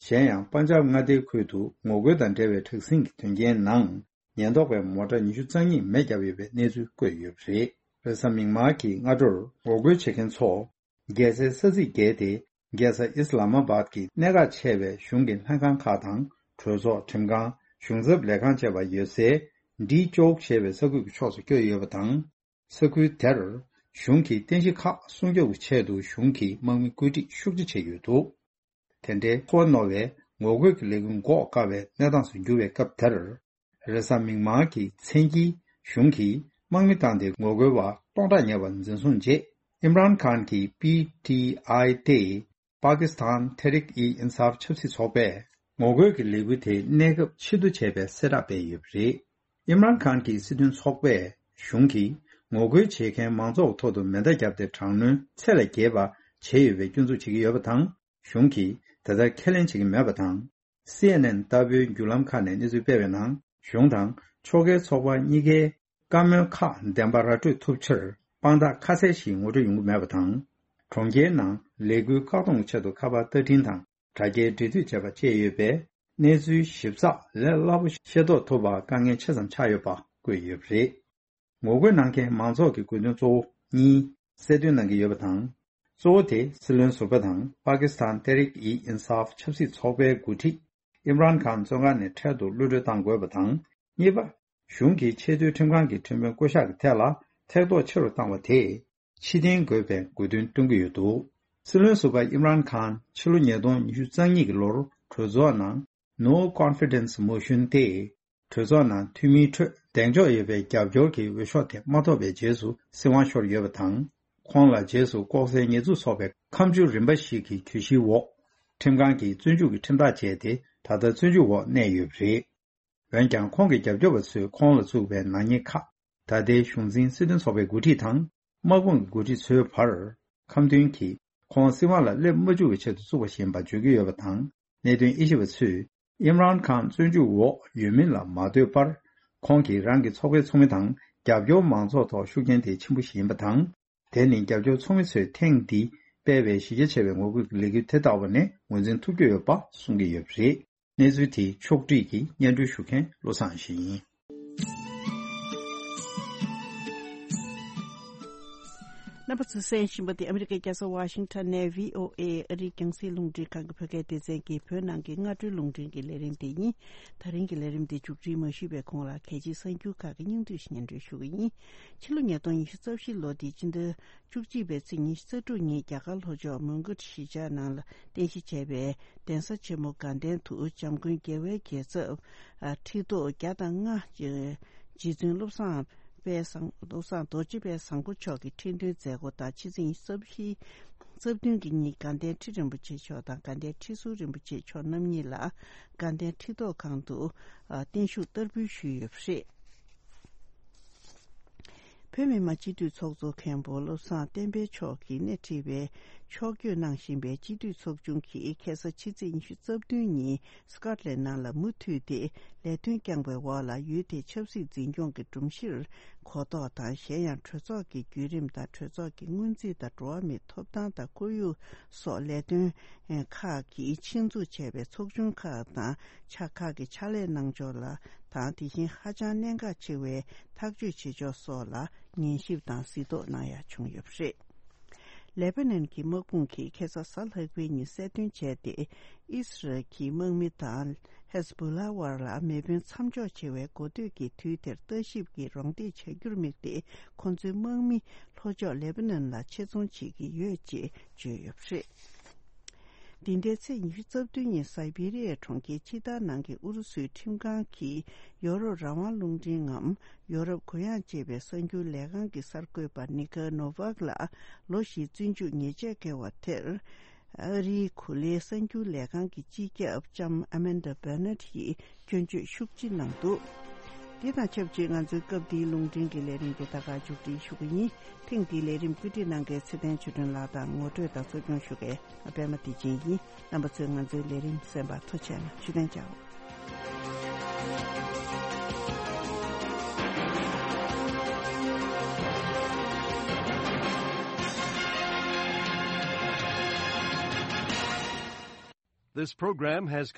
གཞན་ཡང་པན་ཇབ་མངའ་སྡེའི་ཁུལ་དུ་ངོ་རྒོལ་དང་འབྲེལ་བའི་དྲག་ཟིང་གི་དོན་རྐྱེན་ནང་། ཉེན་རྟོག་པས་མོ་ཊ་ཉི་ཤུ་རྩ་གཉིས་མེ་བརྒྱབ་ཡོད་པའི་གནས་ཚུལ་བཀོད་ཡོད་པ་རེད། རེས་གཟའ་མིག་དམར་གྱི་སྔ་དྲོར་ངོ་རྒོལ་བྱེད་མཁན་ཚོ། རྒྱལ་སའི་ས་ཚིགས་བརྒལ་ཏེ། རྒྱལ་ས་ཨིས་ལ་མ་བཱད་ཀྱི་གནད་འགག་ཆེ་བའི་གཞུང་གི་ལྷན་ཁང་ཁག་དང་། གྲོས་ཚོགས། ཁྲིམས་ཁང་། གཞུང་ཚབ་ལས་ཁང་བཅས་པ་ཡོད་སའི། ཌི་ཅོག་ཞེས་པའི་ས་ཁུལ་གྱི་ཕྱོགས་སུ་བསྐྱོད་ཡོད་པ་དང་། ས་ཁུལ་དེར་གཞུང་གིས་རྟེན་གཞི་ཁག་སྲུང་སྐྱོབ་ཀྱི་ཆེད་དུ་གཞུང་གི་དམག་མི་བཀོད་སྒྲིག་ཤུགས་ཆེ་བྱས་ཡོད་འདུག། དེ་འདྲའི་ཚོར་བ་རྣོ་བའི་ངོ་རྒོལ་གྱི་ལས་འགུལ་འགོག་དཀའ་བའི་གནས་སྟངས་སུ་གྱུར་བའི་སྐབས་དེར། རེས་གཟའ་མིག་དམར་གྱི་མཚན་དཀྱིལ་གཞུང་གིས་དམག་མི་བཏང་སྟེ་ངོ་རྒོལ་བ་སྟོང་ཕྲག་ཉེ་བ་འཛིན་བཟུང་རྗེས། ཨིམ་རཱན་ཁཱན་གྱི་པི་ཊི་ཨའི་སྟེ། པ་ཀི་སི་ཐན་ཐེ་རིག་ཨི་ཨིན་སཱབ་ཆབ་སྲིད་ཚོགས་པས་ངོ་རྒོལ་གྱི་ལས་འགུལ་དེ་གནས་སྐབས་ཕྱིར་བསྡུ་བྱས་པའི་གསལ་བསྒྲགས་སྤེལ་ཡོད་པ་རེད། ཨིམ་རཱན་ཁཱན་གྱི་སྲིད་དོན་ཚོགས་པས་གཞུང་གིས་ངོ་རྒོལ་བྱེད་མཁན་མང་ཚོགས་ཐོག་ཏུ་མེ་མདའ་བརྒྱབ་སྟེ་དྲག་གནོན་ཚད་ལས་བརྒལ་བ་བྱས་ཡོད་པའི་སྐྱོན་འཛུགས་བྱེད་ཀྱི་ཡོད་པ་དང་། གཞུང་གིས་དེ་ལྟར་ཁས་ལེན་བྱེད་ཀྱི་མེད་པ་དང་། སི་ཨེན་ཨེན་ལྟ་བུའི་བརྒྱུད་ལམ་ཁག་ནས་གནས་ཚུལ་སྤེལ་བའི་ནང་། གཞུང་དང་ཕྱོགས་འགལ་ཚོགས་པ་གཉིས་ཀའི་བཀའ་མོལ་ཁག་བདེན་པ་ར་སྤྲོད་ཐུབ་ཕྱིར་དཔང་རྟགས་ཁ་གསལ་ཞིག་ངོ་སྤྲོད་ཡོང་གི་མེད་པ་དང་། གྲོང་ཁྱེར་ནང་ལས་འགུལ་བཀག་སྡོམ་གྱི་ཆེད་དུ་ཁ་པར་བརྡ་འཕྲིན་དང་དྲ་རྒྱའི་འབྲེལ་མཐུད་བྱས་པ་བཅས་ཡོད་པས། གནས་ཚུལ་ཞིབ་ཚགས་ལས་སླ་པོ་ཤེས་རྟོགས་ཐུབ་པར་དཀའ་ངལ་ཆེ་ཙམ་ཆགས་ཡོད་པ་བཀོད་ཡོད་པ་རེད། ངོ་རྒོལ་གནང་མཁན་མང་ཚོགས་ཀྱི་དགོས་འདུན་གཙོ་བོ་གཉིས་གསལ་སྟོན་གནང་གི་ཡོད་པ་དང་། གཙོ་བོ་དེ་སྲིད་བློན་ཟུར་པ་དང་པ་ཀི་སི་ཐན་ཏེ་རིག་ཨི་ཨིན་སཱབ་ཆབ་སྲིད་ཚོགས་པའི་འགོ་ཁྲིད་ཨིམ་རཱན་ཁཱན་བཙོན་ཁང་ནས་འཕྲལ་དུ་གློད་གྲོལ་གཏང་དགོས་པ་དང་། གཉིས་པ། གཞུང་གིས་ཆེས་མཐོའི་ཁྲིམས་ཁང་གི་ཁྲིམས་དཔོན་བསྐོ་གཞག་གི་ཐད་ལ་ཐེ་གཏོགས་ཆེ་རུ་བཏང་བ་དེས་ཕྱིར་འཐེན་དགོས་པའི་དགོས་འདུན་བཏོན་གྱི་ཡོད་འདུག། སྲིད་བློན་ཟུར་པ་ཨིམ་རཱན་ཁཱན་ཕྱི་ལོ་ཉིས་སྟོང་ཉི་ཤུ་རྩ་གཉིས་ཀྱི་ལོར་གྲོས་ཚོགས་ནང་No Confidence Motion སྟེ། གྲོས་ཚོགས་ནང་འཐུས་མིའི་ཁྲོད་གདེང་འཇོག་ཡོད་པའི་རྒྱབ་སྐྱོར་གྱི་འོས་ཤོག་དེ་མ་ཐོབ་པའི་རྗེས་སུ་སྲིད་དབང་ཤོར་ཡོད་པ་དང་། ཁོང་ལ་རྗེས་སུ་ལྐོག་ཟའི་ཉེས་འཛུགས་སོགས་པའི་ཁ་མཆུ་རིམ་པ་ཞིག་གི་གྱོད་གཞིའི་འོག་ཁྲིམས་ཁང་གིས་བཙོན་འཇུག་གི་ཁྲིམས་ཐག་བཅད་དེ། ད་ལྟ་བཙོན་འཇུག་འོག་གནས་ཡོད་པ་རེད། འོན་ཀྱང་། ཁོང་གི་རྒྱབ་སྐྱོར་བ་ཚོས་ཁོང་ལ་བཙུགས་པའི་ནག་ཉེས་ཁག་ད་ལྟའི་གཞུང་འཛིན་སྲིད་དོན་ཚོགས་པའི་འགོ་ཁྲིད་དང་། དམག་དཔུང་གི་འགོ་ཁྲིད་ཚོའི་བར་ཁ་འདོན་གྱིས། ཁོང་སྲིད་དབང་ལ་སླེབས་མ་བཅུག་པའི་ཆེད་དུ་བཙུགས་པ་ཞིག་ཡིན་པ་བརྗོད་ཀྱི་ཡོད་པ་དང་། གནད་དོན་དབྱེ་ཞིབ་པ་ཚོས། ཨིམ་རཱན་ཁཱན་བཙོན་འཇུག་འོག་ཡོད་མིན་ལ་མ་ལྟོས་པར། ཁོང་གིས་རང་གི་ཚོགས་པའི་ཚོགས་མི་དང་། རྒྱབ་སྐྱོར་མང་ཚོགས་ཐོག་ཤུགས་རྐྱེན་དེ་ཆེན་པོ་ཞིག་ཡིན་པ་དང་། དེ་ནི་རྒྱབ་སྐྱོར་ཚོགས་མི་ཚོས་ཐེངས་འདིའི་སྤེལ་བའི་གཞི་རྒྱ་ཆེ་བའི་ངོ་རྒོལ་གྱི་ལས་འགུལ་དེ་ལྟ་བུ་ནས་ངོས་འཛིན་ཐུབ་ཀྱི་ཡོད་པ་གསུང་གི་ཡོད་པ་རེད། གནས་ཚུལ་དེའི་ཕྱོགས་བསྒྲིགས་ཀྱིས་སྙན་སྒྲོན་ཞུ་མཁན་བློ་བཟང་ཡེ་ཤེས་ཡིན། རྣམ་པ་ཚོས་གསན་བཞིན་པ་དེ་ཨ་མི་རི་ཀའི་རྒྱལ་ས་ཝ་ཤིང་ཊོན་ནས་བྷི་ཨོ་ཨེ་ཨ་རིའི་རྒྱང་སྲིང་རླུང་འཕྲིན་ཁང་གི་བོད་སྐད་སྡེ་ཚན་གྱི་བོད་ནང་གི་སྔ་དྲོའི་རླུང་འཕྲིན་གྱི་ལས་རིམ་དེ་ཡིན། ད་རིང་གི་ལས་རིམ་དེ་མཇུག་སྒྲིལ་མ་ཞུས་པའི་གོང་ལ། གལ་ཆེའི་གསར་འགྱུར་ཁག་གི་སྙིང་བསྡུས་ཤིག་སྙན་སྒྲོན་ཞུ་གི་ཡིན། ཕྱི་ལོ་ཉིས་སྟོང་ཉི་ཤུ་རྩ་བཞི་ལོ་འདིའི་སྤྱི་ཟླ་བཅུ་གཅིག་པའི་ཚེས་ཉི་ཤུ་རྩ་དྲུག་ཉིན། རྒྱ་གར་ལྷོ་ཕྱོགས་མོན་གྷོ་གཞིས་ཆགས་ནང་ལ་རྟེན་གཞི་བྱས་པའི་གདན་ས་ཆེན་མོ་དགའ་ལྡན་དུ་འཇམ་མགོན་རྒྱལ་བའི་རྒྱལ་ཚབ་ཁྲི་ཐོག་བརྒྱ་དང་ལྔ་རྗེ་བཙུན་བློ་བཟང་དཔལ་བཟང་། བློ་བཟང་རྡོ་རྗེ་དཔལ་བཟང་པོ་མཆོག་གི་ཁྲི་འདོན་མཛད་སྒོ་དང་། ཕྱི་ཚེས་ཉི་ཤུ་རྩ་བཞི། རྩ་བདུན་གྱི་ཉིན་དགའ་ལྡན་ཁྲི་རིན་པོ་ཆེ་མཆོག་དང་། དགའ་ལྡན་ཁྲི་ཟུར་རིན་པོ་ཆེ་མཆོག་རྣམ་གཉིས་ལ་དགའ་ལྡན་ཁྲི་ཐོག་ཁང་དུ་བརྟན་བཞུགས་བསྟར་འབུལ་ཞུས་ཡོད་པ་རེད། བོད་མི་མང་སྤྱི་འཐུས་ཚོགས་གཙོ་མཁན་པོ་བློ་བཟང་བསྟན་འཕེལ་མཆོག་གིས་སྣེ་ཁྲིད་པའི་ཕྱོགས་བསྐྱོད་གནང་བཞིན་པའི་སྤྱི་འཐུས་ཚོགས་ཆུང་གིས་ཁ་སང་ཕྱི་ཚེས་ཉི་ཤུ་རྩ་བདུན་ཉིན་སི་ཀོཊ་ལན་ནང་ལ་མུ་མཐུད་དེ་ལས་དོན་བསྐྱངས་པའི་འོག་ལ། ཡུལ་དེའི་ཆབ་སྲིད་འཛིན་སྐྱོང་གི་སྒྲོམ་གཞིར་གོ་རྟོགས་དང་། གཞན་ཡང་གྲོས་ཚོགས་ཀྱི་བརྒྱུད་རིམ་དང་། གྲོས་ཚོགས་ཀྱི་སྔོན་རྩིས་དང་། འགྲོ་བ་མིའི་ཐོབ་ཐང་དང་ཁོར་ཡུག་སོགས་ལས་དོན་ཁག་གིས་ཆེད་འཛུགས་བྱས་པའི་ཚོགས་ཆུང་ཁག་དང་ཕྱག་ཁག་གི་ཕྱག་ལས་གནང་ཕྱོགས་ལ་དང་། དེ་བཞིན་ཧ་ཅང་གནད་འགག་ཆེ་བའི་ཐག་གཅོད་བྱེད་ཕྱོགས་སོགས་ལ་ཉན་ཞིབ་དང་གཟིགས་རྟོག་གནང་ཡ་བྱུང་ཡོད་པ་རེད། ལེ་པ་ནན་གྱི་དམག་དཔུང་གིས་ཁ་སང་གཟའ་ལྷག་པའི་ཉིན་གསལ་སྟོན་བྱས་ཏེ། ཨིས་རལ་གྱི་དམག་མི་དང་ཧེ་ཛ་བྷོ་ལ་དབར་ལ་མེ་འཕེན་མཚམས་འཇོག་བྱེད་པའི་འགོ་སྟོད་ཀྱི་དུས་དེར་ལྟ་ཞིབ་ཀྱི་རོགས་འདེགས་བྱ་རྒྱུར་དམིགས་ཏེ། ཁོ་ཚོའི་དམག་མི་ལྷོ་ཕྱོགས་ལེ་པ་ནན་ལ་ཆེད་རྫོང་བྱེད་ཀྱི་ཡོད་ཅེས་བརྗོད་ཡོད་པ་རེད། འདི་ཟླའི་ཚེས་ཉི་ཤུ་རྩ་བདུན་ཉིན་སའི་བི་རི་ཡའི་གྲོང་ཁྱེར་ཕྱི་ཐར་ནང་གི་ཨུ་རུ་སུའི་ཁྲིམས་ཁང་གིས་ཡོ་རོབ་རང་དབང་རླུང་འཕྲིན་ངམ་ཡོ་རོབ་གུ་ཡངས་ཅེས་པའི་གསར་འགྱུར་ལས་ཁང་གི་གསར་འགོད་པ་ནི་ཀར་ནོ་ཝག་ལ་ལོ་བཞིའི་བཙོན་འཇུག་ཉེས་ཆད་བཀལ་བ་དེར། ཨ་རིའི་གོ་ལའི་གསར་འགྱུར་ལས་ཁང་གི་སྤྱི་ཁྱབ་ལྕམ་ཨ་མན་ཌ་བྷེ་ནེཊ་ཡིས་སྐྱོན་བརྗོད་ཤུགས་ཆེ་གནང་འདུག། འདི་དང་ཆབས་ཅིག་ང་ཚོའི་སྐབས་འདིའི་རླུང་འཕྲིན་གྱི་ལས་རིམ་འདི་ད་ག་མཇུག་སྒྲིལ་ཞུ་གི་ཡིན། ཐེངས་འདིའི་ལས་རིམ་བཀོད་སྒྲིག་གནང་མཁན་ཚེ་བརྟན་ཆོས་སྒྲོན་ལགས་དང་ངོ་སྤྲོད་དང་གཙོ་སྐྱོང་ཞུ་མཁན་ཨ་པད་མ་བདེ་ཆེན་ཡིན། རྣམ་པ་ཚོས་ང་ཚོའི་ལས་རིམ་གསན་པར་ཐུགས་རྗེ་གནང་། ཇུས་གཏན་འཇགས། This program has